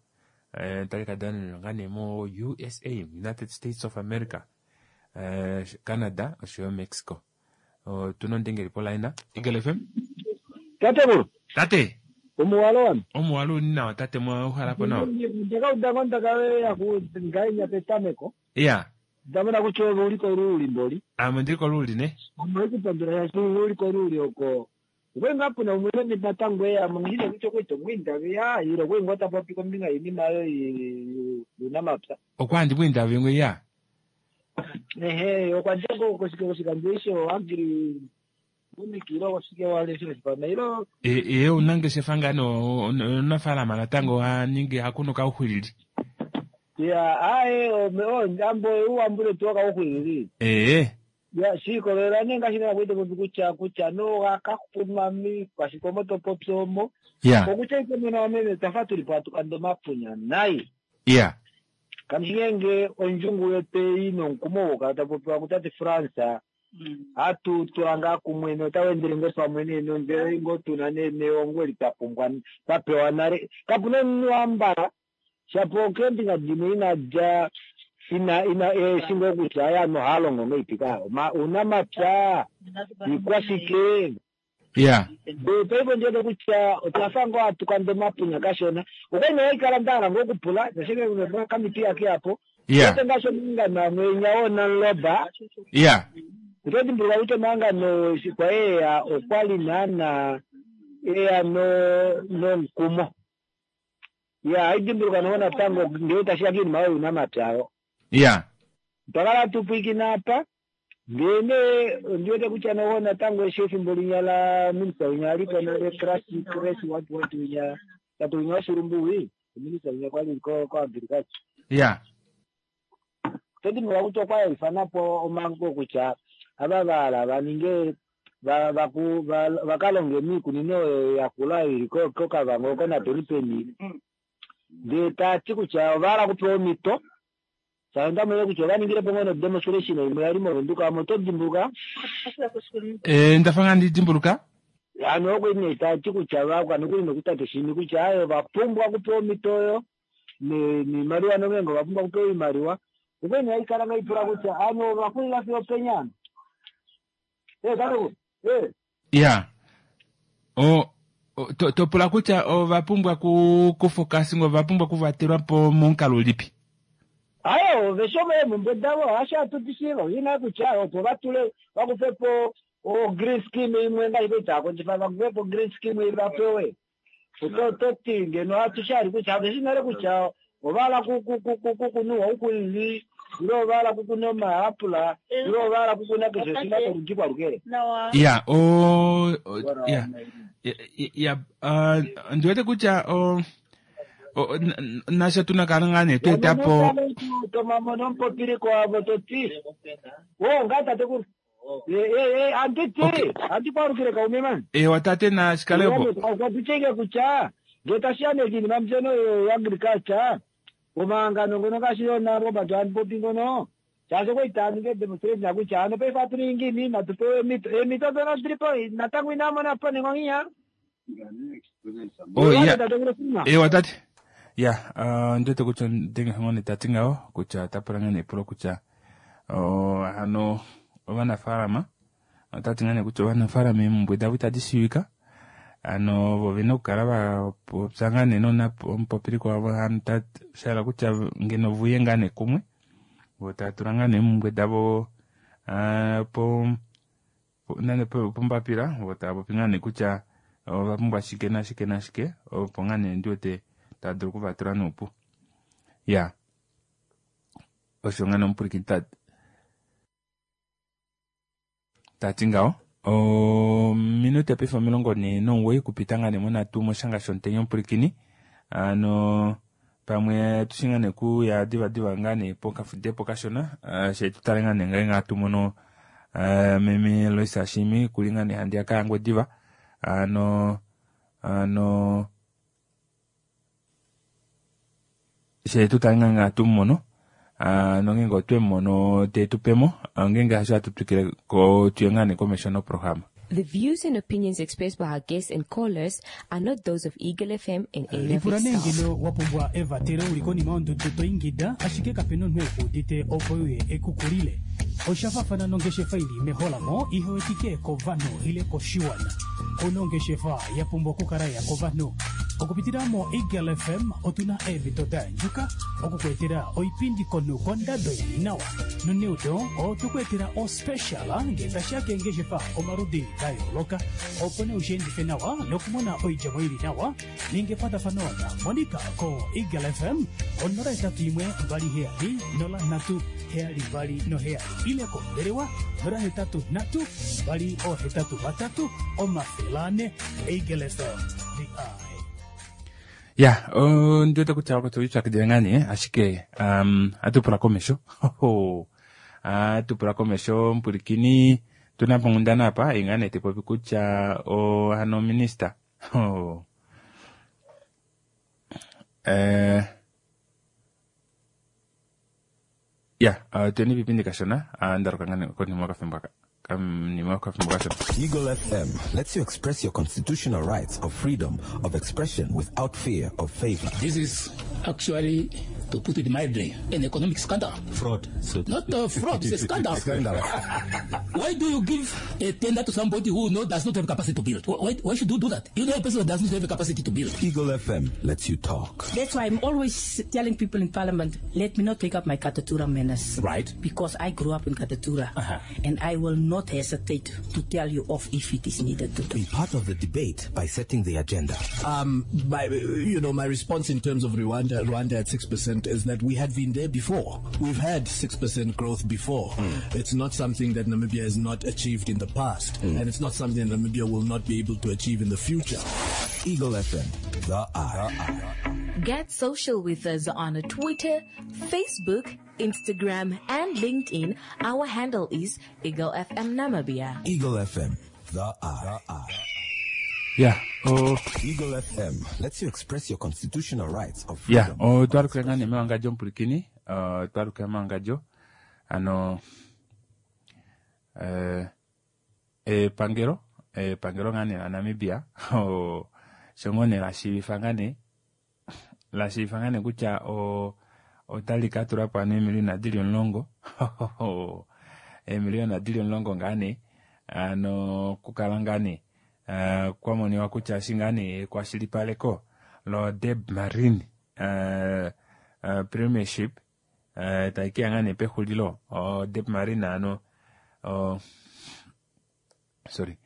Eh, otali ka danenwa ngaa nee mo USA, United States of America, eh, Canada oshoyo Mexico. Otuna ondengeli polaina. Eagle FM. Tatekulu. Tate. Omuwalo wami. Omuwalo uli nawa tate mwa uhala po nawa. Ndakauda ngo ndaka ya ku ngainya petameko. Iya. Ndamona kutya ove uli koluuli mboli. Ame ndili koluuli ne. Omwe kupandula shaashi uli koluuli oko. Okwe ngaa puna umwe natango eya mo ngine kutya okwe tomwiindaviya ile okwe ngoo tapopi kombinga yiinima oyo yuunamapya. Okwa handi mwiindavi ngwe ya. Ehe, okwa dja ko koshikandjo isho agri unikilo koshike wale sho shipana ilo Ye unangeshefa ngaa nee omunafaalama natango ha ningi ha kunu kauxwilili. ya aye ome o ambo uambule tu kauxwilili. Ee. Ya shiikolelela nee ngaashi nee kwete popi kutya kutya no gakakunwa miikwashike to popi omo. Ya. Okutya ike mwene wameme twafa tuli po atukanda omapunya nayi. Ya. Kamshingenge ondjungu yoteyi nomukumo wokukala tapopiwa kutate France hatu tula ngaa kumwe notawu endele ngoo pamwe nee nondjele ngoo tuna nee neongo eli twa pumbwa twa pewa nale. Kapuna omunhu ambala shapo keembinga dimwe ina dja ina ina eeshi ngoo kutya aya nohaa longo ngeipi ka uunamapya iikwashike. Ya. Paife ondiwete kutya otwafa ngoo hatukanda omapunya kashona. Okwali nee haikala nda hala ngoo okupula nashike kamiti yake apo. Ya. Wete ngaashi omahangano amwe enya woonamloba. Ya. Oto dimbuluka kutya omahangano eshi kwa eya okwali naana eya no nomukumo. Ya haidimbuluka noho natango ngee tashiya kiinima oyo yuunamapya oyo. Ya. Otwa kala hatu pwiikine apa ndee nee ondiwete kutya noho natango eshi efimbo linya la minista winya aliko nale Krasi Kresi what what winya tate winya woshilumbu wi ominista winya kwali ko ko agriculture. Ya. Oto dimbuluka kutya okwa ifana po omango kutya ava vahala va ninge va vaku va vakalonge miikunino oyo yakula ili ko koKavango oko napenipeni ndee tati kutya ovahala okupewa omhito shaashi ondamona kutya ovaningile po ngoo nodemonstration imwe yali movenduka omo oto dimbuluka. Eh, ndafa ngaa ndi dimbuluka. Ano okwe nee tati kutya vakwanokuli nokutate shimi kutya aye ovapumbwa okupewa omhito oyo niimaliwa nongeenge ovapumbwa okupewa oimaliwa. Okwe nee haikala ngaipula kutya ano ovaxulila fiyo openya ano. Eh, tatekulu. Eh. Ya. O to, to pula kutya ova pumbwa ku kufocusing ova pumbwa kuvatelwa po momukalo ulipi? Aye, ove shoma eemhumbwe davo hasho hatu di shiiva ina kutya opo va tule vakufe po o green scheme imwe ngaashi kwali tava kondjifa vakufe po green scheme vapewe. Oto to ti ngeno hatu shali kutya ave shi nale kutya ovahala kukunwa ouxwilili ile ovahala kukuna omayapula ile ovahala kukuna keshe shimwe sholudi kwalukele. Ya, o, o ya. Ya, uh, ndiwete kutya o nasho tuna kala ngaa nee tweeta po tomamono omupopiliko wavo toti o ngaa tatekulu anditi andi kwalukile kaume mani. Ewa tate na shikalepo. Okwatutsheke kutya ngee tashiya nee kiinima mbyono yo agriculture omahangano ngono ngaashi yona Robert Anpopi ngono shaashi okwali taya ningi demonstration kutya ano paife atu ningi ngiini natu pewe eemhito eemhito dhono odili po natango inamona po nengonginya. Oh, ya. Ewa tate. Ya, uh, ndiwete kutya ndenge ngone tati ngaho kutya ota pula ngaa nepulo kutya oh, hano ovanafaalama otati ngaa nee kutya ovanafaalama eemhumbwe davo itadi shiivika ano vo vena okukala vapopya ngaa nee nomupopiliko wavo hano shahala kutya ngeno vuye ngaa nee kumwe vo tava tula ngaa nee eemhumbwe davo uh, po nande pombapila vo tava popi ngaa nee kutya ova pumbwa shike nashike nashike opo ngaa nee ndi wete tava dulu okuvatula noupu. Ya osho ngaa nee omupwilikini ta ta ti ngaho. Ominute paife 49 kupita ngaa nee monhatu moshanga shomutenya omupwilikini. Ano pamwe tushi ngaa nee kuya divadiva ngaa nee pokafudepo kashona she tu tale ngaa nee ngeenge hatu mono meme Lois Ashimi kuli ngaa nee handiyaka yaNgwediva. Ano ano she tu tale ngaa hatu mu mono nongeenge otwe mu mono te tu pemo ngeenge hasho hatu twikile ko tuye ngaa nee komesho noprograma. The views and opinions expressed by our guests and callers are not those of Eagle FM and any of Lipula its nee staff. ngeno wa pumbwa evatelo uli konima yondudu to ingida ashike kapena omunhu ekuudite opo uye ekukulile. Osha faafana nongeshefa ili meholamo ihewetike kovanhu ile koshiwana. Ouna ongeshefa ya pumbwa okukala ya kovanhu. Okupitila mo Eagle FM otuna eemhito da yandjuka okukuetela oipindi komunhu kondado ili nawa. Noneudo otukuetela ospecial ngee tashiya keengeshefa omaludi da yooloka opo nee ushiendife nawa nokumona oidjemo ili nawa ninga ekwatafano na Monica ko Eagle FM 081 27 03 72 7 ile kombelewa 083 283 400. Eagle FM the eye. Ya, ondi wete kutya oko tolipyakidile ngaa nee ashike ohatu pula komesho. Ohatu pula komesho omupwilikini tuna po onghundana apa ei ngaa nee tayi popi kutya hano minista ya tuyeni pipindi kashona ndaluka ngaa nee konima yokafimbo aka konima yokafimbo kashona. Eagle FM lets you express your constitutional rights of freedom of expression without fear of favor. This is actually, to put it mildly, an economic scandal. Fraud. So Not a fraud, it's a scandal. Scandal. Why do you give a tender to somebody who does not have capacity to build? Why should you do that? You know a person who does not have capacity to build. Eagle FM lets you talk. That's why I'm always telling people in Parliament, let me not take up my Katutura manners. Right. Because I grew up in Katutura. And I will not hesitate to tell you off if it is needed to do. Be part of the debate by setting the agenda. My response in terms of Rwanda at 6% is that we had been there before. We've had 6% growth before. It's not something that Namibia has not achieved in the past, and it's not something that Namibia will not be able to achieve in the future. Eagle FM, the eye. Get social with us on Twitter, Facebook, Instagram, and LinkedIn. Our handle is Eagle FM Namibia. Eagle FM, the eye. Ya, oh. Eagle FM lets you express your constitutional rights of Ya, freedom. otwalukila ngaa nee mewangadjo omupwilikini, otwalukila mewangadjo ano epangelo epangelo ngaa nee laNamibia osho ngoo nee lashiivifa ngaa nee lashiivifa ngaa nee kutya otali ka tula po ano eemiliyona dili 10 eemiliyona dili 10 ngaa nee ano okukala ngaa nee kwamoniwa kutya eshi ngaa nee ekwashilipaleko lo Debmarine Premiership tai keya ngaa nee pexulilo Debmarine ano sorry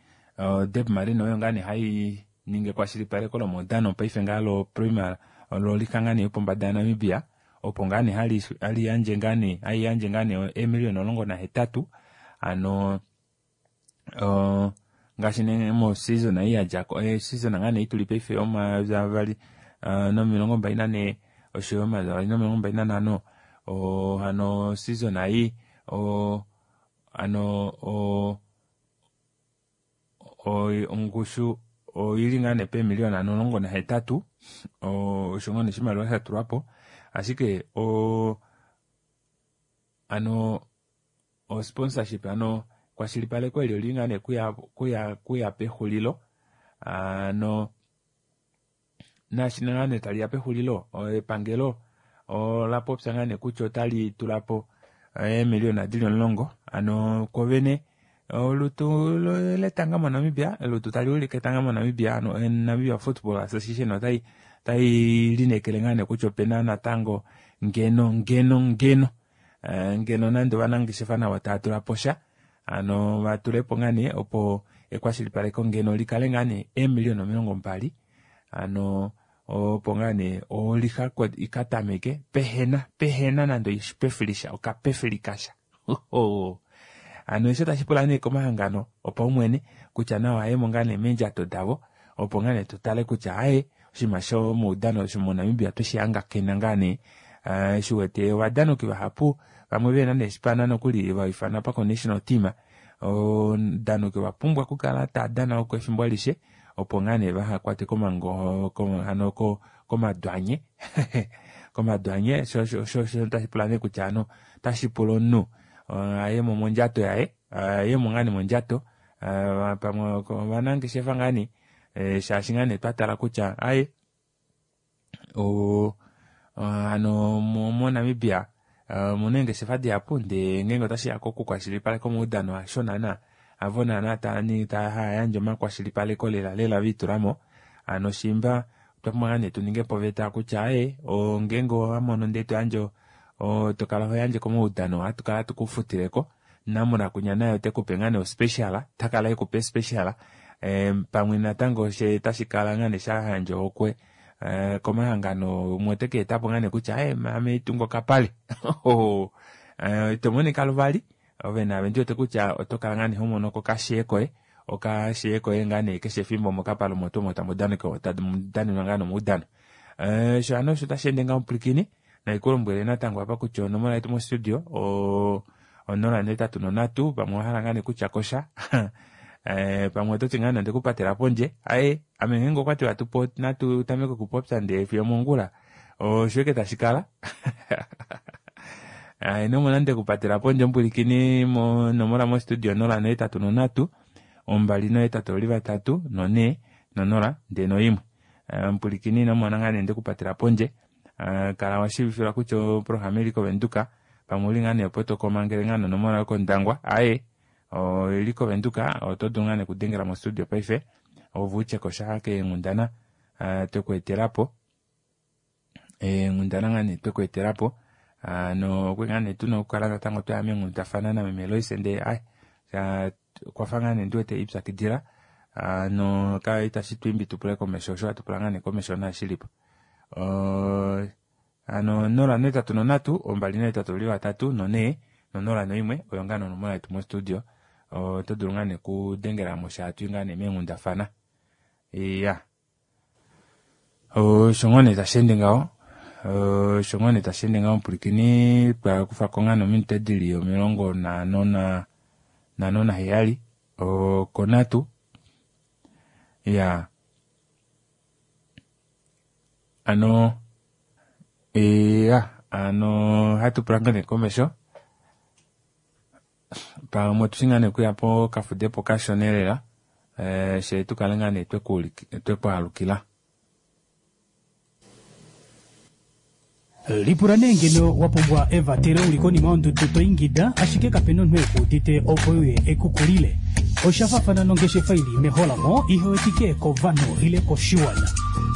Debmarine oyo ngaa nee hai ningi ekwashilipaleko lomaudano paife ngaa lo Premier lolika ngaa nee yopombada yaNamibia opo ngaa nee hali yandje ngaa nee hai yandje ngaa nee eemiliyona 18 ano ngaashi nee mo season ei yadjako season ngaa nee ituli paife 2024 oshoyo 2025 hano season ei ano ongushu oili ngaa nee peemiliyona 18 osho ngoo nee oshimaliwa sha tulwapo ashike ano o sponsorship ano kwashilipaleko eli oli ngaa nee kuya pexulilo ano nashi ngaa nee taliya pexulilo epangelo ola popya ngaa nee kutya otali tulapo eemiliyona dili 10 ano kovene olutu letanga moNamibia olutu tali ulike etanga moNamibia ano Namibia Football Association otai linekele ngaa nee kutya opena natango ngeno ngeno ngeno ngeno nande ovanangeshefa navo tava tula po sha Hano vatulepo ngaa nee opo ekwashilipaleko ngeno likale ngaa nee eemiliona 20 hano opo ngaa nee oliha ikatameke pehena pehena nande oshipefilisha okapefilikasha hano eshi otashi pula nee komahangano opaumwene kutya nawa ayemo ngaa nee meendjato davo opo ngaa nee tutale kutya aye oshinima shomaudano shomoNamibia tweshi hangakena ngaa nee eshi wete ovadanoki vahapu vamwe vena neeshipana nokuli vaifana pako national team ovadanoki ovapumbwa okukala tava dana oko efimbo alishe opo ngaa nee vahakwatwe komango hano komadwanye komadwanye sho tashi pula nee kutya hano otashi pula omunhu ayemo mondjato yaye ayemo ngaa nee mondjato pamwe ovanangeshefa ngaa nee shaashi ngaa nee twatala kutya aye hano moNamibia omuna eengeshefa dihapu ndee ngeenge otashiya kokukwashilipaleka omaudano hasho naana avo naana taya yandje omakwashilipaleko lela lela viitulamo hano shimba otwa pumbwa ngaa nee tuningepo oveta kutya aye ngeenge owamono ndee toyandje tokala hoyandje komaudano ohatu kala tukufutileko namulakunya naye otekupe ngaa nee ospecial takala ekupe special pamwe natango she tashi kala ngaa nee shayandja ohokwe komahangano umwe oteke etapo ngaa nee kutya aye ame itunga okapale ito monika luvali ove naave ndiwete kutya oto kala ngaa nee homono ko okashee koye okashee koye ngaa nee keshe efimbo mokapale omo tuu omo tamu danenwa ngaa nomaudano osho hano osho tashi ende ngaho omupwilikini naikulombwele natango apa kutya onomola yetu mostudio 083 pamwe owahala ngaa nee kutya kosha pamwe ototi ngaa nande kupatela pondje aye ame ngeenge okwatiwa natu tameke okupopya ndee fiyo mongula osho tashi kala ino mona nde kupatela pondje omupwilikini monomola mostudio 083 283 4 00 ndee noimwe omupwilikini ino mona ngaa nee ndekupatela pondje kala washiivifilwa kutya oprograma ili kovenduka pamwe uli ngaa nee opo tokomangele ngaa nonomola yokondangwa aye oili kovenduka oto dulu ngaa nee okudengela mostudio paife ove utye kosha keenghundana twekweetelapo eenghundana ngaa nee twekweetelapo hano okwe ngaa nee tuna okukala natango twaya meenghundafana nameme Lois ndee ai okwafa ngaa nee ndiwete ipyakidila hano itashi twiimbi tupule komesho osho hatupula ngaa nee komesho naashilipo hano 083 283 4 00 oyo ngaa nonomola yetu mostudio oto dulu ngaa nee kudengela mo shaatu ngaa nee meenghundafana iya osho ngoo nee tashi ende ngaho osho ngoo nee tashi ende ngaho omupwilikini twakufako ngaa nominute dili 57 okonhatu iya ano iya ano hatupula ngaa nee komesho pamwe otushi ngaa nee okuya pokafudepo kashona lela she tukale ngaa nee twekwaalukila. Lipula nee ngeno wa pumbwa evatelo uli konima yondudu to ingida ashike kapena omunhu ekuudite opo uye ekukulile. Osha faafana nongeshefa ili meholamo ihe wetike kovanhu ile koshiwana.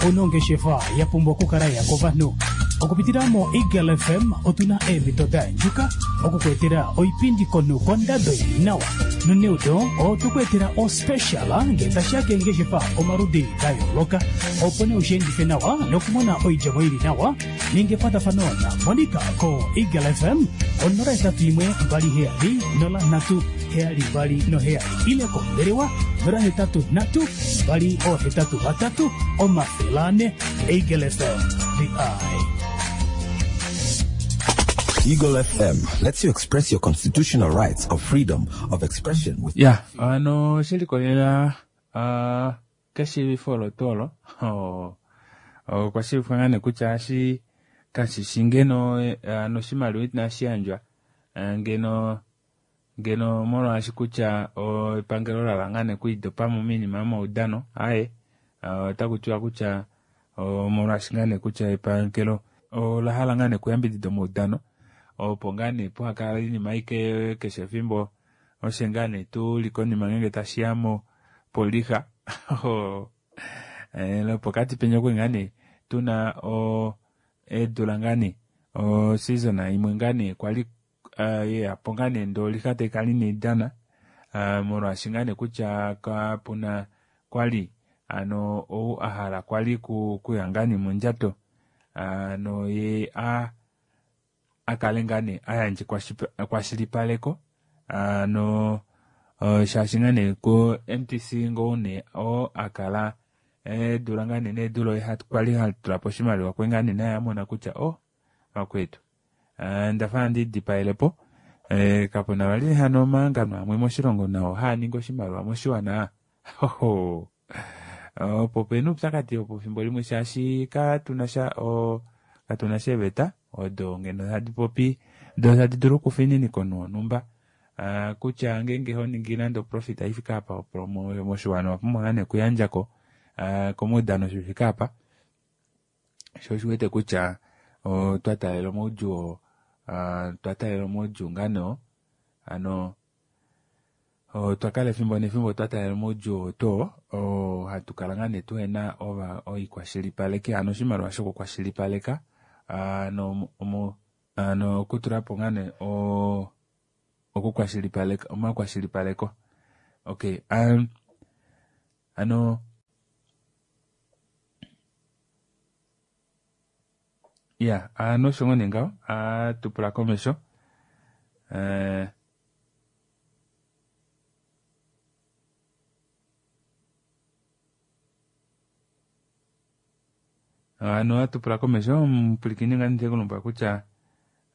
Ouna ongeshefa ya pumbwa okukala ya kovanhu. Okupitila mo Eagle FM otuna eemhito da andjuka okukweetela oipindi komunhu kondado ili nawa. Noneudo otwe ku etela ospecial ngee tashiya keengeshefa omaludi da yooloka opo nee usheendife nawa nokumona oidjemo ili nawa ninga ekwatafano na Monica ko Eagle FM 081 27 03 727 ile kombelewa 083 283 400 Eagle FM the eye. Eagle FM lets you express your constitutional rights of freedom of expression with Ya, ano shilikolela keshiivifo olo tuu olo okwa shiivifwa ngaa nee kutya ashi kashishi ngeno ano oshimaliwa inashi yandjwa ngeno ngeno molwaashi kutya epangelo lala ngaa nee okwiidopamo moinima yomaudano aye otaku tiwa kutya molwaashi ngaa nee kutya epangelo ola hala ngaa nee okuyambidida omaudano opo ngaa nee pohakala oinima aike keshe efimbo oshe ngaa nee tuli konima ngeenge tashiya poliha lopokati penya okwe ngaa nee tuna eedula ngaa nee oseason imwe ngaa nee kwali yeyapo ngaa nee ndee oliha taikala inaidana Molwaashi ngaa nee kutya kapuna kwali ano ou a hala kwali kuya ngaa nee mondjato ano ye a akale ngaa nee a yandje ekwashilipaleko ano shaashi ngaa nee ko MTC ngoo nee oo akala eedula ngaa nee needula oye kwali hatulapo oshimaliwa kwe ngaa nee naye amona kutya oh vakwetu ndafa handi dipaelepo kapuna vali hano omahangano amwe moshilongo nao haa ningi oshimaliwa moshiwana hoho opo pena oupyakadi opo fimbo limwe shaashi katunasha katunasha eeveta odo ngeno tadi popi do tadi dulu okufininika omunhu wonhumba kutya ngeenge honingi nande oprofit ifike apa moshiwana owapumbwa ngaa nee okuyandjako komaudano shifike apa sho oshiwete kutya otwa taalela omaudjuu otwa taalela omaudjuu ngaa nee ano otwa kala efimbo nefimbo twa taalela omaudjuu oto hatu kala ngaa nee tuhena oikwashilipaleki ano oshimaliwa shokukwashilipaleka ano ano okutulapo ngaa nee okukwashilipaleka omakwashilipaleko okay ano ya ano osho ngoo nee ngaho atupula komesho ano atupula komesho omupwilikini ngaa ndikulombwela kutya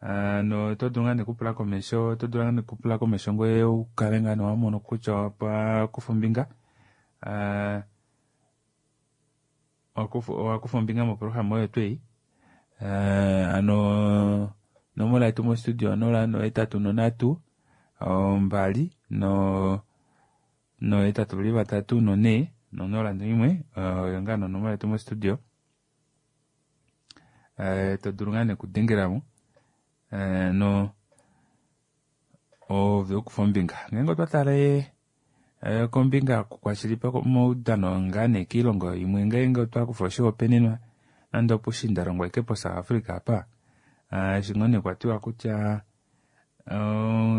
ano oto dulu ngaa nee okupula komesho oto dulu ngaa nee okupula komesho ngoye ukale ngaa nee wamono kutya owakufa ombinga owakufa ombinga moprograma oyo twei ano onomola yetu mostudio 0 8 3 2 no 8 3 4 no 0 1 oyo ngaa nonomola yetu mostudio to dulu ngaa nee okudengelamo no ove ukufa ombinga ngeenge otwa tale kombinga yokukwashilipaleka omaudano ngaa nee kiilongo imwe ngeenge otwa kufa oshihopaenenwa nande opushindalongo ashike po South Africa apa eshi ngoo nee kwatiwa kutya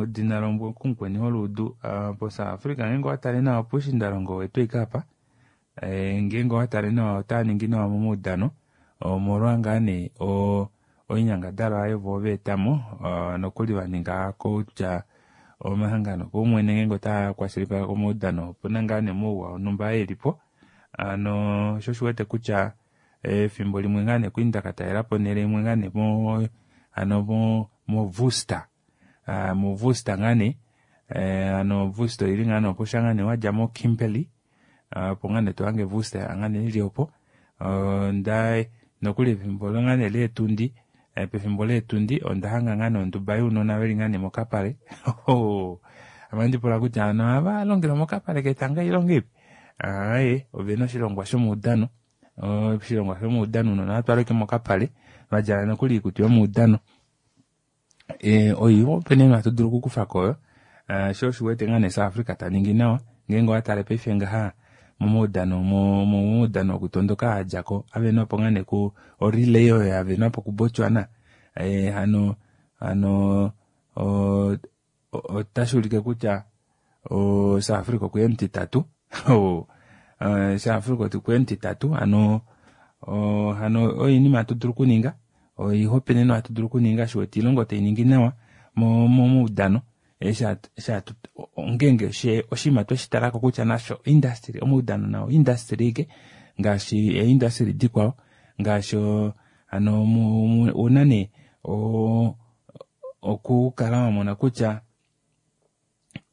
edina lokumukweni holuudu po South Africa ngeenge owatale nawa pushindalongo wetu ashike apa ngeenge owatale nawa otaa ningi nawa momaudano omolwa ngaa nee oinyangadalwa ayo vo veetamo nokuli vaninga kutya omahangano opaumwene ngeenge otaa kwashilipaleke omaudano opuna ngaa nee omauwa onhumba elipo ano sho oshiwete kutya efimbo limwe ngaa nee kwali ndakatalela onhele imwe ngaa nee ano mo Worcester mo Worcester ngaa nee ano Worcester oili ngaa nee opo sha ngaa nee wadja mo Kimberley opo ngaa nee tohange Worcester ngaa nee ili opo nokuli efimbo ngaa nee leetundi pefimbo leetundi onda hanga ngaa nee onduba younona veli ngaa nee mokapale ame andipula kutya ano ohava longelwa mokapale ketanga ilonga ipi aaye ovena oshilongwa shomaudano oshilongwa shomaudano ounona ohatwalwa mokapale vadjala nokuli oikutu yomaudano oihopaenenwa hatu dulu okukufako oyo sho oshiwete ngaa nee South Africa taningi nawa ngeenge owatale paife ngaha momaudano momaudano okutondoka adjako avenwapo ngaa nee ku orelay oyo yavenwapo ku Botswana hano ano otashi ulike kutya South Africa okuya omutitatu South Africa okuya omutitatu ano hano oinima hatu dulu okuninga oihopaenenwa hatu dulu okuninga shiwete oilongo tainingi nawa momaudano ongeenge oshinima tweshitalako kutya nasho industry omaudano nao industry ike ngaashi eindustry dikwao ngaashi ano una nee okukala wamona kutya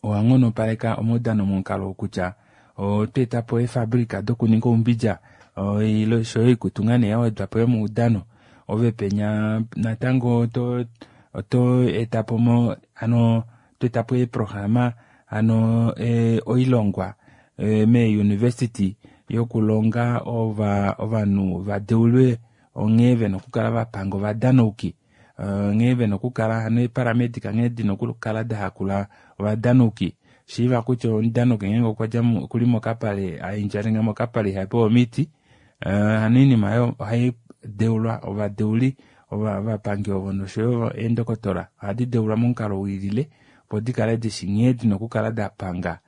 owanghonopaleka omaudano momukalo kutya otweetapo eefabrika dokuninga oumbidja oshoyo oikutu ngaa nee yawedwapo yomaudano ove penya natango oto etapo ano toetapo eeprograma ano oilongwa mee-university yokulonga ovanhu vadeulwe onghee vena okukala vapanga ovadanauki nghee vena okukala hano eeparamedic nghee dina okukala dahakula ovadanauki shiiva kutya omudanauki ngeenge okwadja okuli mokapale aindjalenga mokapale ihapewa omiti hano oinima oyo ohai deulwa ovadeuli ovapangi ovo noshoyo eendokotola ohadi deulwa momukalo wiilile. Opo dikale dishi nghee dina okukala dapanga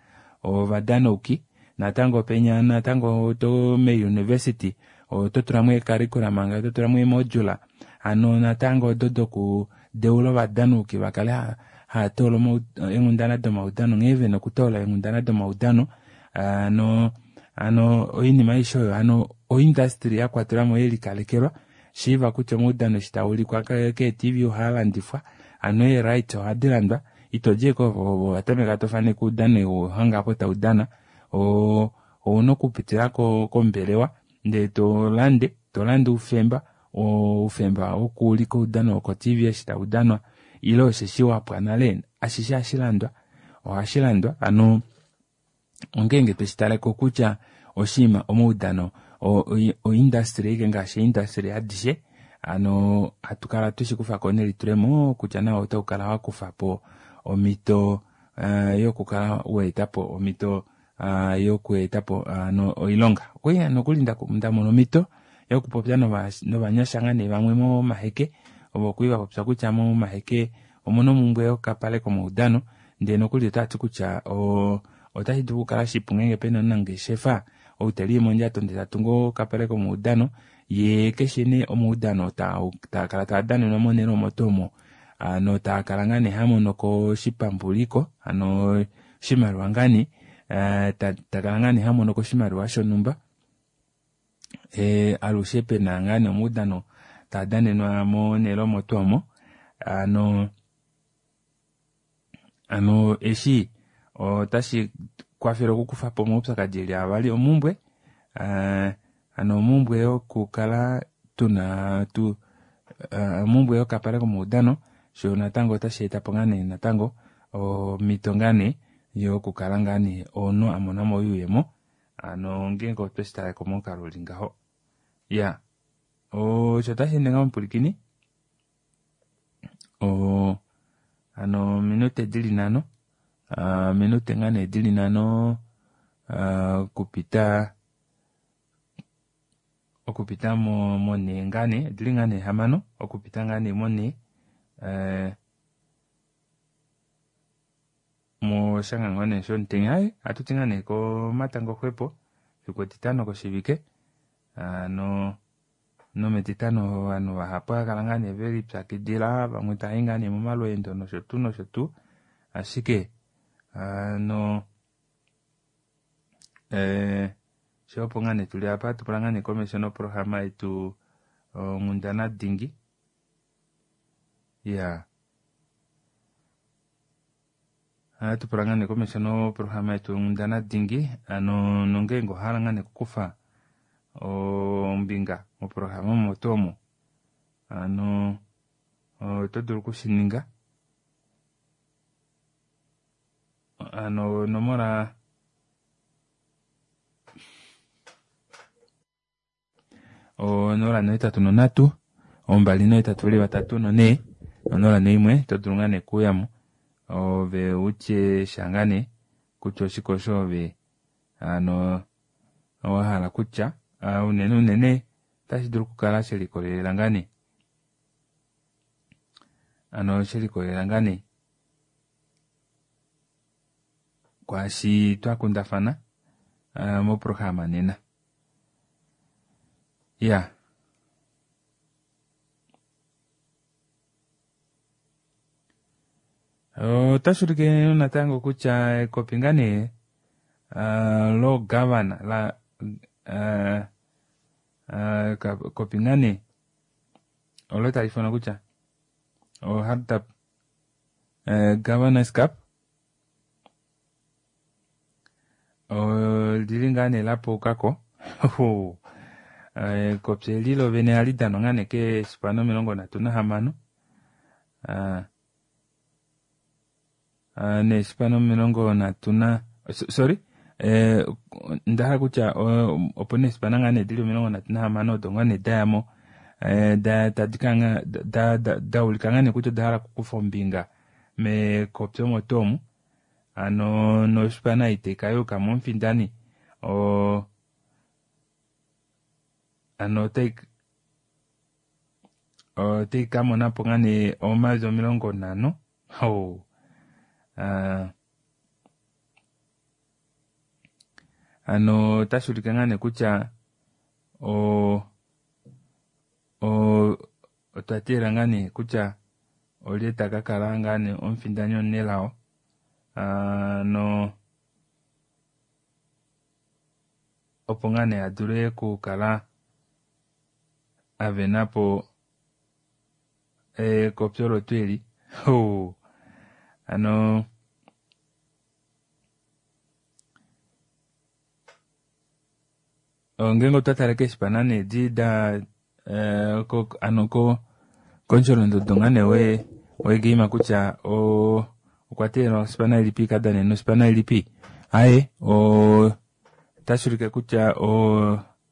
ovadanauki natango penya natango to meuniversity oto tulamo eecurriculum oto tulamo eemodula hano natango odo dokudeula ovadanuki vakale haya toola eenghundana domaudano nghee vena okutoola eenghundana domaudano hano hano oinima aishe oyo hano oindustry yakwatelwamo yelikalekelwa shiiva kutya omaudano eshi taulikwa keetv ohaa landifwa hano ee-rights ohadi landwa ito di ashike watameka tofaneke oudano wahanga apo taudana ouna okupitila kombelewa ndee tolande tolande oufemba oufemba wokuulika oudano woko-tv eshi taudanwa ile osheshi wapwa nale ashishe ohashilandwa ohashilandwa hano ongeenge tweshi kutya oshinima omaudano oindustry ashike ngaashi eindustry adishe hano hatu kala tweshikufako nelitulemo kutya nawo otaukala wakufapo omhito yokukala waetapo omhito yokuetapo hano oilonga. Okwali nokuli ndamona omhito yokupopya novanyasha ngaa nee vamwe momaheke ovo kwali vapopya kutya momaheke omuna omumbwe yokapale komaudano ndee nokuli otavati kutya otashi dulu okukala shipu ngeenge pena omunangeshefa ou teli mondjato ndee tatungu okapale komaudano yee keshe nee omaudano taakala taadanenwa monhele omo tuu omo hano taakala ngaa nee hamonoko oshipambuliko hano oshimaliwa ngaa nee takala ngaa nee hamonoko oshimaliwa shonhumba alushe pena ngaa nee omaudano taadanenwa monhele omo tuu omo hano hano eshi otashi kwafele okukufapo omaupyakadi eli avali omumbwe hano omumbwe yokukala tuna tu omumbwe yokapale komaudano sho natango otashi etapo ngaa nee natango omhito ngaa nee yokukala ngaa nee omunhu amonamo oyuuyemo hano ngeenge otweshi taleko momukalo uli ngaho ya osho tashi ende ngaho omupwilikini hano ominute dili nhano ominute ngaa nee dili nhano okupita okupita monhee ngaa nee odili ngaa nee hamano okupita ngaa nee monhee moshanga nee shomutenya hai ohatuti ngaa nee komatango xwepo fiku etitano koshivike hano nometitano ovanhu vahapu ohava kala ngaa nee velipyakidila vamwe tavayi ngaa nee momalweendo nosho tuu nosho tuu ashike hano sho opo ngaa nee tuli apa tupula ngaa nee komesho noprograma yetu onghundana dingi ya ohatu pula ngaa nee komesho noprograma yetu onghundana dingi hano nongeenge owahala ngaa nee okukufa ombinga moprograma omo tuu omo hano oto dulu okushininga hano onomola 083 283 04 01 to dulu ngaa nee okuyamo ove utye sha ngaa nee kutya oshike osho ove hano owahala kutya unene unene otashi dulu okukala shelikolelela ngaa nee hano shelikolelela ngaa nee kwaashi twakundafana moprograma nena ya otashi ulike natango kutya ekopi ngaa nee logavana la ekopi ngaa nee olo tali ifanwa kutya oHardap Governors Cup olili ngaa nee lapuukako ekopi eli lovene ohali danwa ngaa nee keeshipana 36 neeshipana 30 na sorry ndahala kutya opena eeshipana ngaa nee dili 36 odo ngaa nee dayamo tadi daulika ngaa nee kutya oda hala okukufa ombinga mekopi omo tuu omu hano noshipana itaika yukamo omufindani hano otai kamonapo ngaa nee omayovi 50 Hano otashi ulike ngaa nee kutya o o otwa teelela ngaa nee kutya olye ta ka kala ngaa nee omufindani omunelao no opo ngaa nee a dule okukala a vena po ekopyo lotu eli. Hano ngeenge otwa tale keeshipana nee edi da ano komusholondodo ngaa nee wegeima kutya okwa teelelwa oshipana ilipi ikadanene noshipana ilipi. Aye, otashi ulike kutya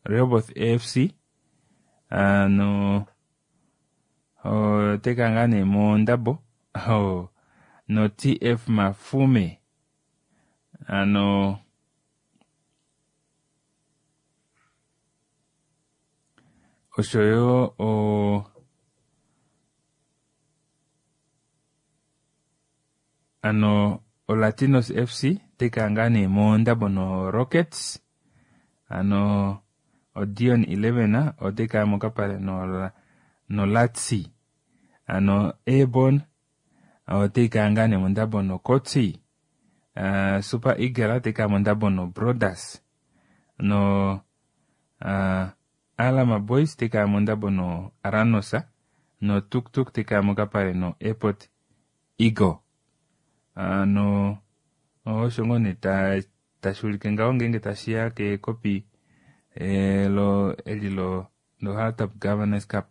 Rehoboth AFC ano otaika ngaa nee mondabo no TF Mafume ano oshoyo ano Olatinos FC otaika ngaa nee mondabo no Rockets ano Odion 11 otaika mokapale no Latsi ano Airborne otaika ngaa nee mondabo no Kotsi Super Eagle otaika mondabo no Brothers no Alama Boys otaika mondabo no Aranosa no Tuk Tuk otaika mokapale no Airport Eagle. Ano osho ngoo nee tashi ulike ngaho ngeenge tashiya kekopi eli lo Hardap Governors Cup.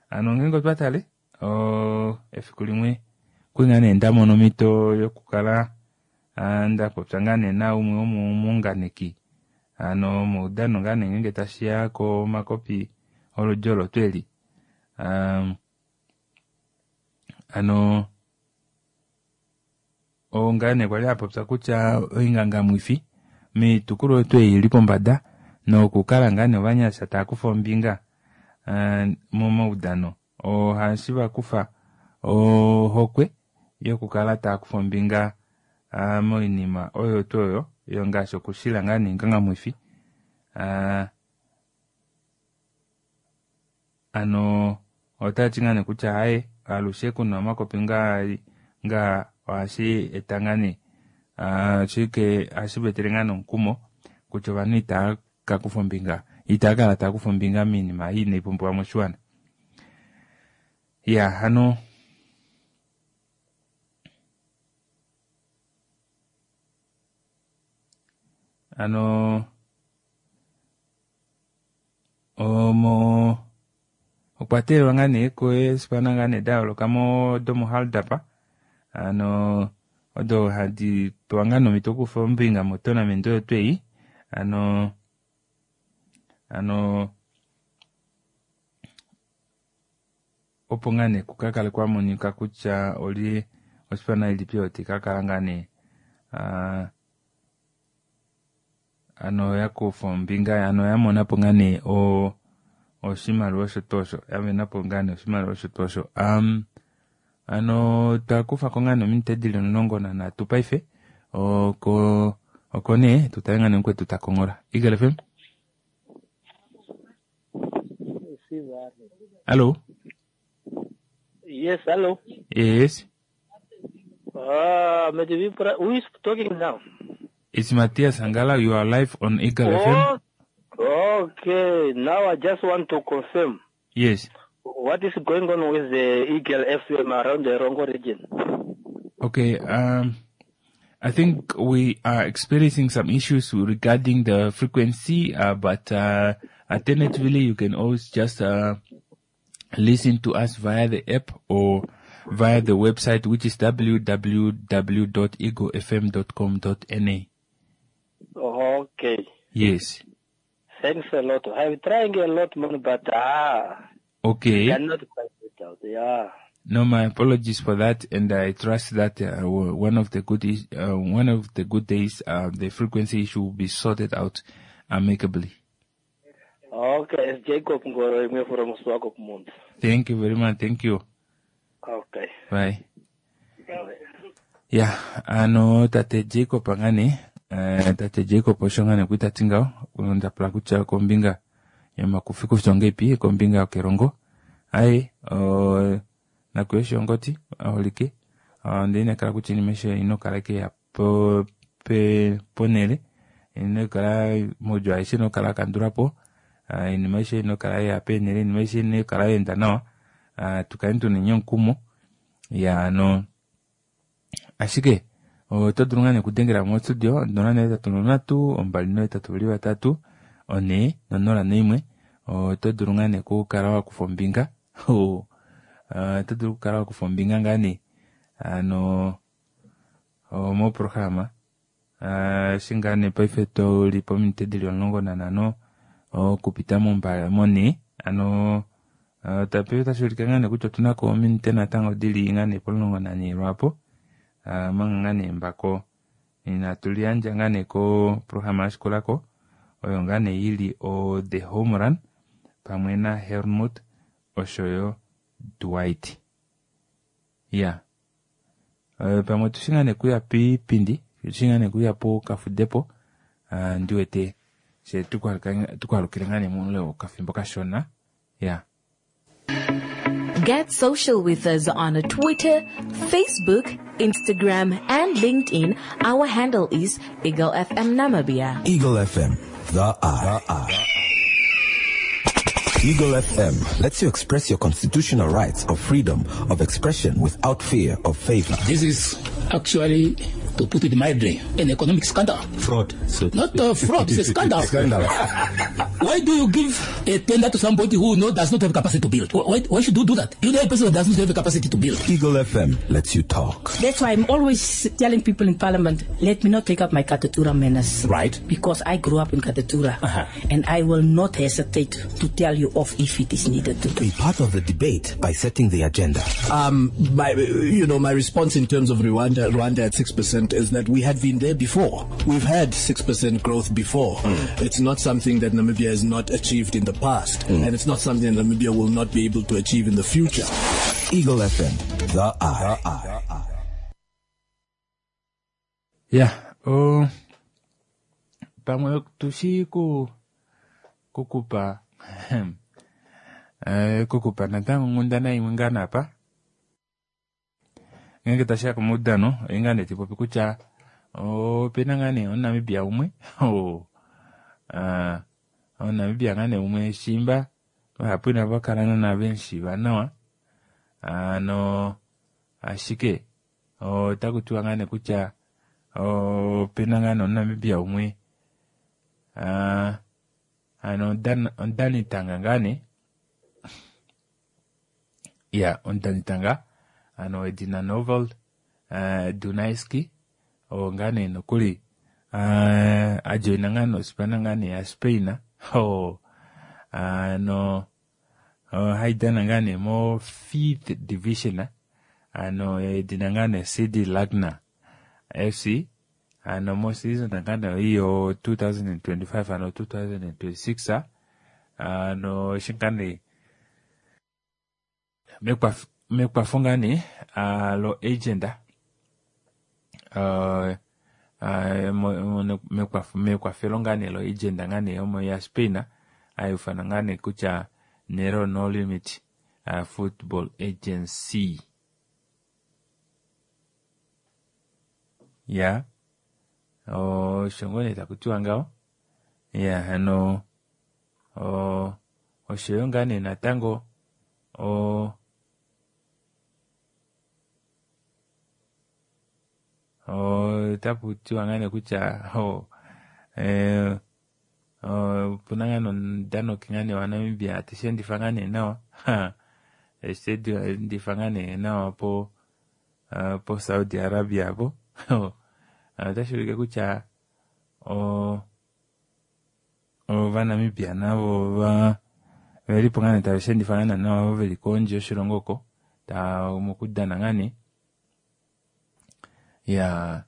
Ano ngeenge otwa tale efiku limwe kuli nee ndamona omhito yokukala ndapopya ngaa nee naumwe womomuunganeki ano moudano ngaa nee ngeenge tashiya komakopi oludi olo tuu eli. Ano ngaa nee kwali apopya kutya oingangamwifi moitukulwa yetu ei ili pombada nokukala ngaa nee ovanyasha tava kufa ombinga momaudano ohashi vakufa ohokwe yokukala tava kufa ombinga moinima oyo tuu oyo yo ngaashi okushila ngaa nee oingangamwifi. Ano otati ngaa nee kutya haye alushe kuna omakopi ngaa ohashi eta ngaa nee ashike ohashi vetele ngaa nomukumo kutya ovanhu itava ka kufa ombinga itava kala tava kufa ombinga moinima ei inai pumbiwa moshiwana. Ya hano ano omo okwa teelelwa ngaa nee keespana ngaa nee da yooloka domoHardap ano odo hadi pewa ngaa nomhito okukufa ombinga motournament oyo tuu ei ano opo ngaa nee kukakale kwamonika kutya olye oshipana ilipi oyo taikakala ngaa nee ano yakufa ombinga ano yamonapo ngaa nee oshimaliwa osho tuu osho yavenapo ngaa nee oshimaliwa osho tuu osho. Ano twakufako ngaa nee ominute dili 13 paife oko nee tutale ngaa nee mukwetu takonghola. Eagle FM. Hello. Yes, hello. Yes. Who is talking now? It's Matthias Angala. You are live on Eagle FM. Okay. Now I just want to confirm. Yes. What is going on with the Eagle FM around the Erongo region? Okay. I think we are experiencing some issues regarding the frequency, but alternatively, you can always just listen to us via the app or via the website, which is www.eaglefm.com.na. Okay. Yes. Thanks a lot. I'm trying a lot more, but Okay. Cannot find it out. Yeah. No, my apologies for that, and I trust that one of the good days, the frequency issue will be sorted out amicably. Okay, it's Jacob Ngoro from Swakopmund. Thank you very much. Thank you. Okay. Bye. Ya, ano tate Jacob ngaa nee, eh, tate Jacob osho ngaa nee kwali ta ti ngaho, onda pula kutya kombinga yomakufikufi ongeipi, kombinga yokelongo. Aye, o, nakuya oshihongoti, aholike, onda inekela kutya iinima aishe ino kala ike ya po, pe, ponhele, ino kala moudjuu aishe ino kala ya kandulwa po, ah, iinima aishe ino kala ya peenhele, iinima aishe ino kala ya enda nawa, ah, tu kale tuna omukumo, ya ano ashike oto dulu ngaa nee okudengela mostudio 083 283 401 oto dulu ngaa nee okukala wa kufa ombinga oto dulu okukala wa kufa ombinga ngaa nee ano moprograma eshi ngaa nee paife tuli pominute dili 15 okupita monhe ano paife otashi ulike ngaa nee kutya otuna ko ominute natango dili ngaa nee po14 lwaapo omanga ngaa nee mbako inatu liyandja ngaa nee koprograma yashikulako oyo ngaa nee ili o The Home Run pamwe na Helmut oshoyo Dwight. Ya pamwe otushi ngaa nee kuya piipindi tushi ngaa nee kuya pokafudepo ndiwete she tukwalukile ngaa nee muule wokafimbo kashona. Ya. Get social with us on Twitter, Facebook, Instagram, and LinkedIn. Our handle is Eagle FM Namibia. Eagle FM, the eye. Eagle FM lets you express your constitutional rights of freedom of expression without fear of favor. This is actually, to put it mildly, an economic scandal. Fraud. So Not a fraud, it's a scandal. Scandal. Why do you give a tender to somebody who does not have capacity to build? Why should you do that? You know a person who does not have the capacity to build. Eagle FM lets you talk. That's why I'm always telling people in Parliament, let me not take up my Katutura manners. Right. Because I grew up in Katutura. And I will not hesitate to tell you off if it is needed to. Be part of the debate by setting the agenda. My response in terms of Rwanda at 6% is that we had been there before. We've had 6% growth before. It's not something that Namibia has not achieved in the past, and it's not something that Namibia will not be able to achieve in the future. Eagle FM, the eye. Yeah, pamwe tushi ku kukupa kukupa natango onghundana imwe ngaa napa. Ngeenge tashiya komaudano, oye ngaa nee tipopi kutya opena ngaa nee omuNamibia umwe omuNamibia ngaa nee umwe shimba vahapu inava kala naana vemushiiva nawa, ano ashike otaku tiwa ngaa nee kutya opena ngaa nee omuNamibia umwe ano omudanitanga ngaa nee ya omudanitanga ano edina Novel Dunaiski oo ngaa nee nokuli ajoina ngaa nee osipana ngaa nee ya Spain ano haidana ngaa nee mo 5th division ano edina ngaa nee CD Lagna FC ano mo season ngaa nee iyo 2025 ano 2026 ano shinga nee mekwafo ngaa nee lo agenda mekwafelo ngaa nee lo agenda ngaa nee omo ya Spain ayufana ngaa nee kutya Nero No Limit Football Agency ya osho ngoo nee takutiwa ngaho ya ano oshoyo ngaa nee natango otaku tiwa ngaa nee kutya opuna ngaa nomudanoki ngaa nee waNamibia teshi endifa ngaa nee nawa teshi endifa ngaa nee nawa po po Saudi Arabia po otashi ulike kutya ovanamibia navo velipo ngaa nee tave shi endifa ngaa nawa veli kondje yoshilongo oko mokudana ngaa nee ya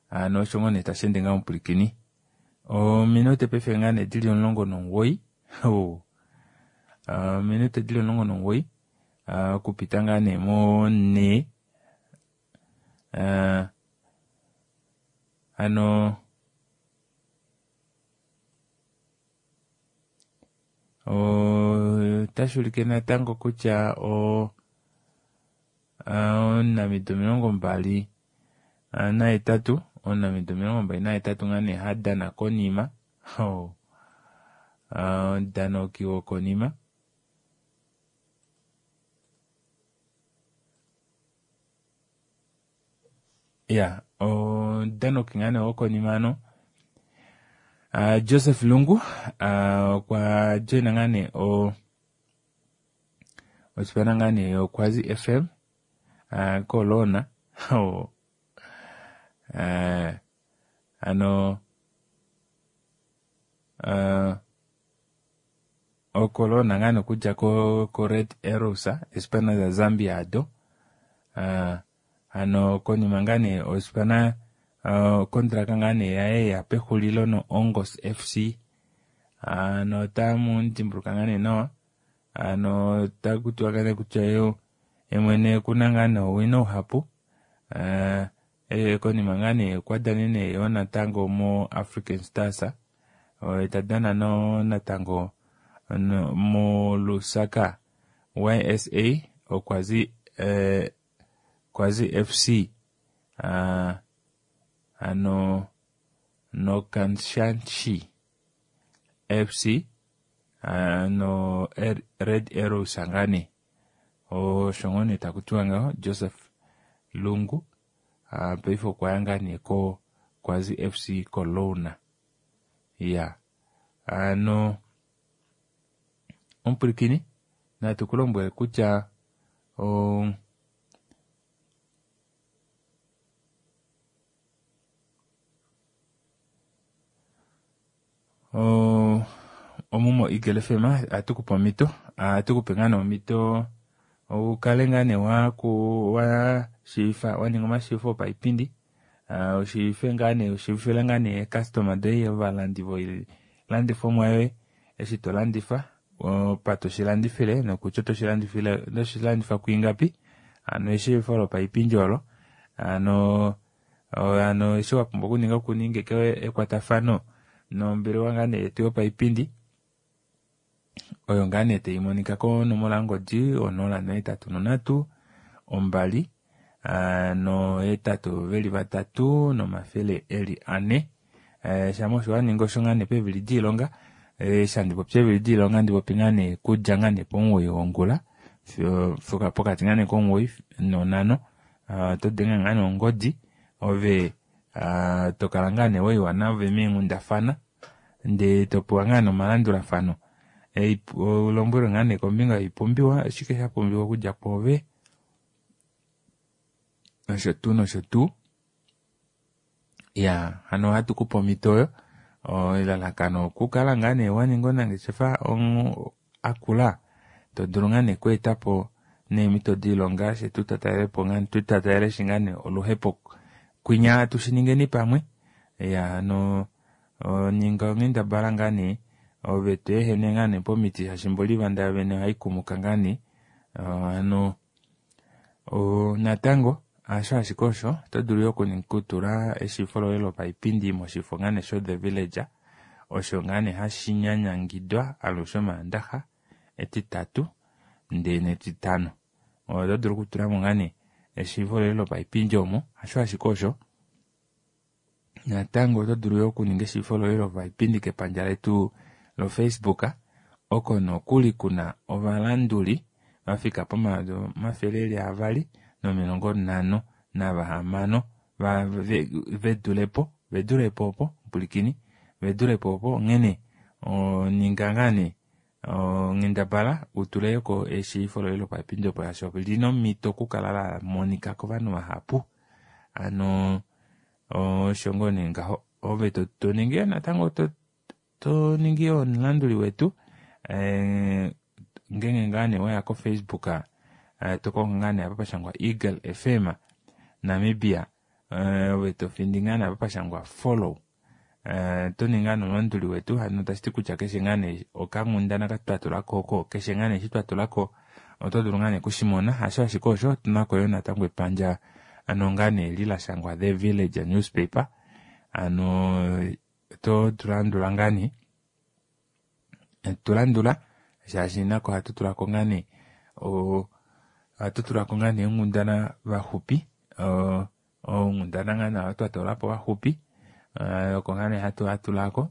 ano osho ngoo nee tashi ende ngaa omupulikini ominute paife ngaa nee dili 19 ominute dili 19 okupita ngaa nee mo ne Hano otashi ulike natango kutya o omunamido 28 omunamido 28 ngaa nee ha dana konima omudanoki wokonima ya omudanoki ngaa nee wokonima ano Joseph Lungu okwa joina ngaa nee osipana ngaa nee yoKwazi FM kolona ano okolona ngaa nee okudja ko Red Arrows esipana za Zambia ado ano konima ngaa nee osipana okontraka ngaa nee yaye ya pexulilo no Ongos FC ano otamu dimbuluka ngaa nee nawa ano otakutiwa ngaa nee kutya ye mwene okuna ngaa nee owino uhapu konima ngaa nee okwa danene yo natango mo African Stars ta dana no natango mo Lusaka YSA okwazi Kwazi FC ano noKanshanshi FC no Red Arrows ngane osho ngoo nee takutiwa ngaho Joseph Lungu paife okwa ya ngaa nee ko Kwazi FC Kolona ya ano omupwilikini natu kulombwele kutya omumo Eagle FM atukupe omhito atukupe ngaa nee omhito ukale ngaa nee wa shiifa wa ninga omashiifo opaipindi ushiife ngaa nee ushiifile ngaa nee customer doye ovalandi voilandifomwa yoye eshi to landifa pa toshilandifile nokutya toshilandifile toshilandifa kuingapi ano eshiifo lopaipindi olo ano ano eshi wapumbwa okuninga okuninga ekwatafano nombelewa ngaa nee yetu yopaipindi oyo ngaa nee taimonika konomola yongodi 083 2 823 400 shama osho waninga osho ngaa nee peevili diilonga shandipopya eevili diilonga ndipopi ngaa nee kudja ngaa nee pomuwoi wongula pokati ngaa nee komuwoi nonhano oto denge ngaa nee ongodi ove tokala ngaa nee waiwa nave meenghundafana ndee topewa ngaa nee omalandulafano ulombwelwe ngaa nee kombinga yoipumbiwa oshike shapumbiwa okudja kwoove nosho tuu nosho tuu ya hano ohatu kupe omhito oyo elalakano okukala ngaa nee waninga onangeshefa akula to dulu ngaa nee okweetapo neemhito diilonga she tutatalelepo tutatalele shi ngaa nee oluhepo kwinya tushiningeni pamwe ya no ninga onghendabala ngaa nee ove to ehene ngaa nee pomiti shaashi mboli vanda vene ohaikumuka ngaa nee ano natango hasho ashike osho oto dulu yo okutula eshiifo loye lopaipindi moshifo ngaa nee sho The Village osho ngaa nee hashi nyanyangidwa alushe omaandaxa etitatu ndee netitano oto dulu okutulamo ngaa nee eshiifo loye lopaipindi omo hasho ashike osho natango oto dulu yo okuninga eshiifo loye lopaipindi kepandja letu loFacebook oko nokuli kuna ovalanduli vafika po256 vedulepo vedulepo opo mpulikini vedulepo opo onghene ninga ngaa nee onghendabala utuleko eshiifo loye lopaipindi opo shaashi olina omhito okukala la monika kovanhu vahapu ano osho ngoo nee ngaho ove toningi natango toningi omulanduli wetu ngenge ngaa nee waya koFacebook tokonga ngaa nee apa pashangwa Eagle FM Namibia ove tofindi ngaa nee apa pashangwa follow toninga nomulanduli wetu hano tashiti kutya keshe ngaa nee okanghundana katwatulako oko keshe ngaa nee eshi twatulako oto dulu ngaa nee kushimona hasho ashike osho otunako yo natango epandja ano ngaa nee li lashangwa The Village Newspaper. Ano oto tu landula ngaa nee tu landula shaashi nako ohatu tulako ngaa nee ohatu tulako ngaa nee onghundana vaxupi onghundana ngaa nee twa toolapo vaxupi oko ngaa nee hatu atulako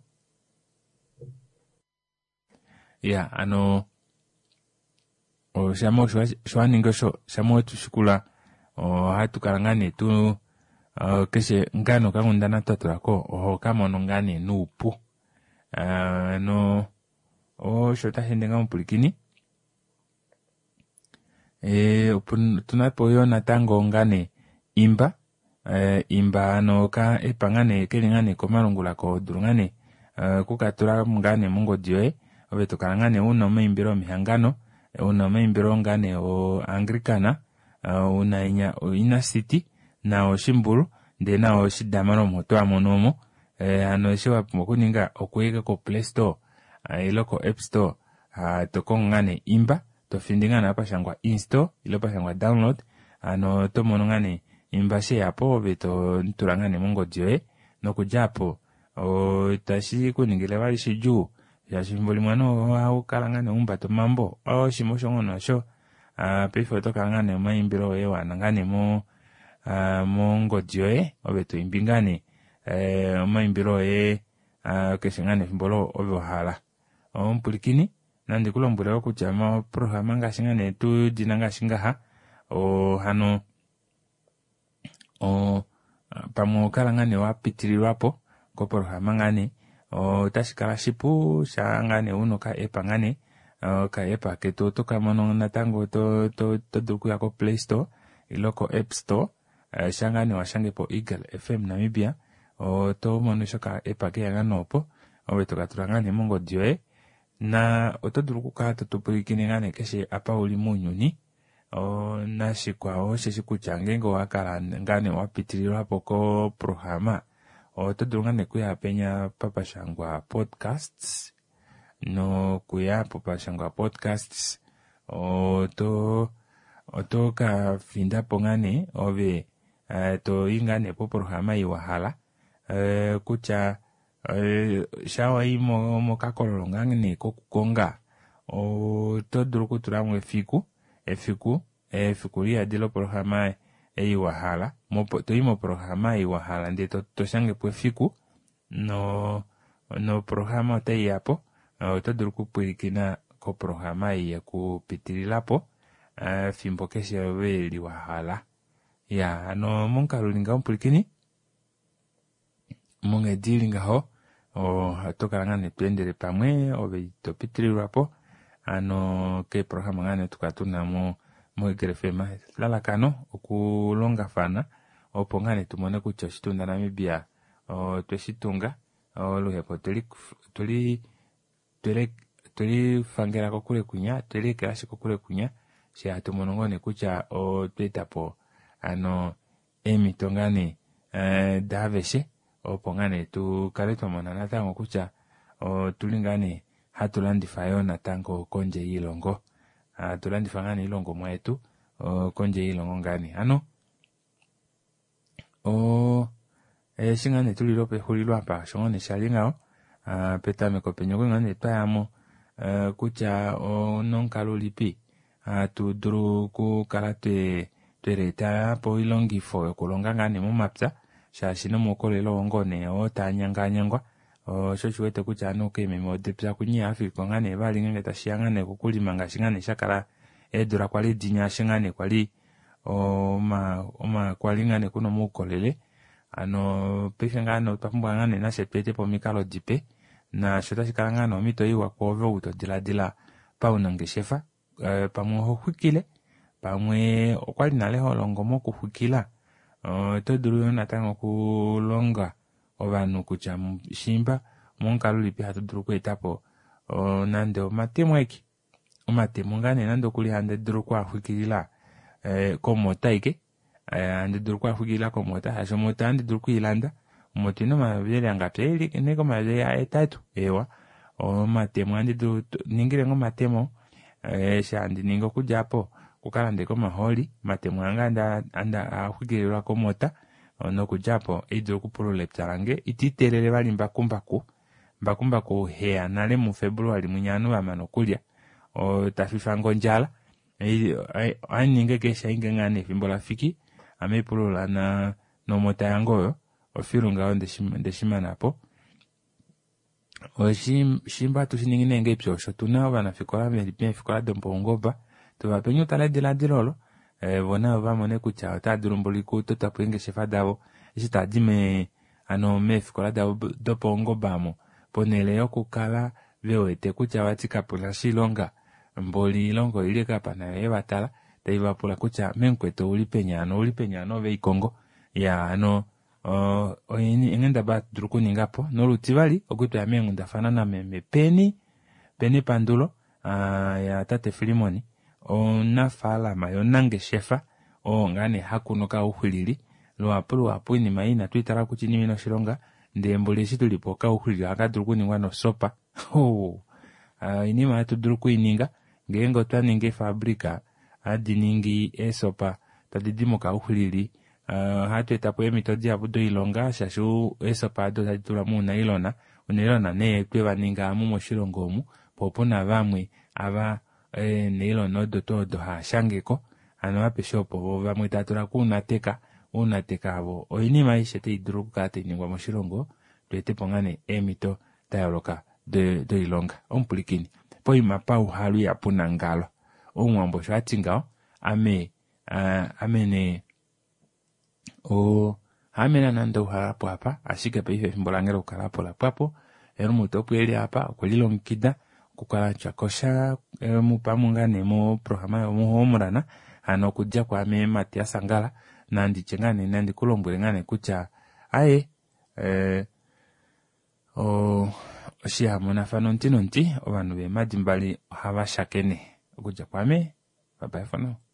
ya ano shama osho waningi osho shama wetushikula ohatu kala ngaa nee tu keshe ngaa nee okanghundana twa tulako oho kamono ngaa nee noupu ano osho tashi ende ngaa mupwilikini otunapo yoo natango ngaa nee imba imba ano oka app ngaa nee keli ngaa nee komalungula kodulu ngaa nee okukatula ngaa nee mongodi yoye ove tokala ngaa nee una omaimbilo omihangano una omaimbilo ngaa nee oanglicana una inya oinner city na oshimbulu ndee na oshidamara omo oto amono omo hano eshi wapumbwa okuninga okuya ko play store ile ko app store tokongo ngaa nee imba tofindi ngaa nee apa pashangwa install ile pashangwa download hano oto mono ngaa nee imba sheyapo ove totula ngaa nee mongodi yoye nokudja apo itashi kuningile vali shidjuu shaashi efimbo limwe ovanhu ohaukala ngaa nee umbata omambo oshima osho ngoo nasho paife otokala ngaa nee omaimbilo oye waana ngaa nee mongodi yoye ove toimbi ngaa nee omaimbilo oye keshe ngaa nee efimbo olo ove wahala. Omupwilikini nandi kulombwele wo kutya moprograma ngaashi ngaa nee tudina ngaashi ngaha hano pamwe okala ngaa nee wapitililwapo koprograma ngaa nee otashi kala shipu shaa ngaa nee una oka app ngaa nee oka app ketu oto kamono natango to dulu okuya ko play store ile ko app store shaa ngaa nee washangepo Eagle FM Namibia oto mono eshi oka app keya ngaa nee opo ove tokatula ngaa nee mongodi yoye na oto dulu okukala totupwilikine ngaa nee keshe apa uli mounyuni nashikwao osheshi kutya ngeenge owakala ngaa nee wapitililwapo koprograma oto dulu ngaa nee okuya penya papashangwa podcasts nokuya popashangwa podcasts oto ka findapo ngaa nee ove toyi ngaa nee poprograma ei wahala kutya sha wayi mokakololo ngaa nee kokukonga oto dulu okutulamo efiku efiku efiku liyadi loprograma ei wahala toyi moprograma ei wahala ndee toshangepo efiku noprograma otai yapo oto dulu okupwilikina koprograma ei yekupitililapo efimbo keshe ove li wahala. Ya hano momukalo uli ngaho mupwilikini monghedi ili ngaho oto kala ngaa nee tweendele pamwe ove itopitililwapo hano keeprograma ngaa nee tukala tuna mo Eagle FM lalakano okulongafana opo ngaa nee tumone kutya oshitunda Namibia otweshitunga oluhepo twelifangela kokule kunya tweliekelashi kokule kunya she hatu mono ngoo nee kutya otweetapo ano eemhito ngaa nee daaveshe opo ngaa nee tukale twamona natango kutya otuli ngaa nee hatu landifa yoo natango kondje yiilongo hatu landifa ngaa nee iilongomwa yetu kondje yiilongo ngaa nee ano eshi ngaa nee tulile pexulilo apa osho ngoo nee shali ngaho petameko penya okwali ngaa nee twayamo kutya onomukalo ulipi hatu dulu okukala tweleeta po oilongifo yokulonga ngaa nee momapya shaashi nomaukolele oo ngoo nee oo taanyanganyangwa osho oshiwete kutya ovanhu keememe odepya kunye ihaafikiko ngaa nee vali ngeenge tashiya ngaa nee kokulima ngaashi ngaa nee shakala eedula kwali dinya eshi ngaa nee kwali kwali ngaa nee kuna omaukolele hano paife ngaa nee otwa pumbwa ngaa nee nashe tweetepo omikalo dipe naasho otashi kala ngaa nee omhito iwa kwoove ou todiladila paunangeshefa pamwe oho xwikile pamwe okwali nale holongo mokuxwikila oto dulu yoo natango okulonga ovanhu kutya shimba momukalo ulipi hatu dulu okweetapo nande omatemo aike omatemo ngaa nee nande okuli handi dulu okuaxwikilila komota aike handi dulu okuaxwikilila komota shaashi omota ohandi dulu okwiilanda omota ina omayovi eli angapi eli neke omayovi ahetatu ewa omatemo ohandi dulu ningile ngoo omatemo eshi handi ningi okudja apo okukalanda omahooli omatemo ange axwikililwa komota. Nokudja apo oidulu okupulula epya lange iti teelele vali mbakumbaku mbakumbaku heya nale muFebruali mwinya ovanhu vamana okulya tafifange ondjala ohaningi keshe ainge ngaa nee efimbo lafiki ame ipulula nomota yange oyo ofilu ngaho ndeshimanapo. Shimba hatu shiningi nee ngeipi osho tuna ovanafikola veli meefikola dopaungoba tuvapeni utala ediladilo olo vo navo vamone kutya otava dulu mboli okutotapo eengeshefa davo eshi tadi hano meefikola davo dopaungoba omo ponhele yokukala vewete kutya vati kapuna oshilonga mboli oilonga oili ashike apa nayo yevatala taivapula kutya memukwetu ouli peni hano ouli peni hano ove ikongo ya hano enghendabala hatu dulu okuningapo nolutivali okutwaya meenghundafana nameme peni peni pandulo ya tate Filimoni omunafaalama yomunangeshefa oo ngaa nee hakunu okauxwilili luhapu luhapu oinima ei inatu itala kutya oinima ina oshilonga ndee mboli eshi tulipo okauxwilili ohaka dulu okuningwa nosopa oinima hatu dulu okuininga ngeenge otwa ningi eefabrika hadi ningi eesopa tadi di mokauxwilili ohatu etapo eemhito dihapu doilonga shaashi eesopa ado otadi tulwa muunailona unailona nee twevaninga amu moshilongo omu po opuna vamwe ava eenailona odo tuu odo haashangeko hano apeshe opo vo vamwe tava tula kuunateka ounateka avo oinima aishe tai dulu okukala tainingwa moshilongo tweetepo ngaa nee eemhito dayooloka doilonga omupulikini poima pauhalu ihapu nangalo omuwambo osho ati ngaho ame ame nee haame naana ndauhalapo apa ashike paife efimbo lange lokukalapo lapwapo Helmut opo eli apa okwe lilongekida okukala atya kosha mupamwe ngaa nee moprograma yomuhomurana hano okudja kwaame Matias Angala nanditye ngaa nee nandi kulombwele ngaa nee kutya aye oshihamonafano omuti nomuti ovanhu veemadi mbali ohava shakene okudja kwaame bye bye for now.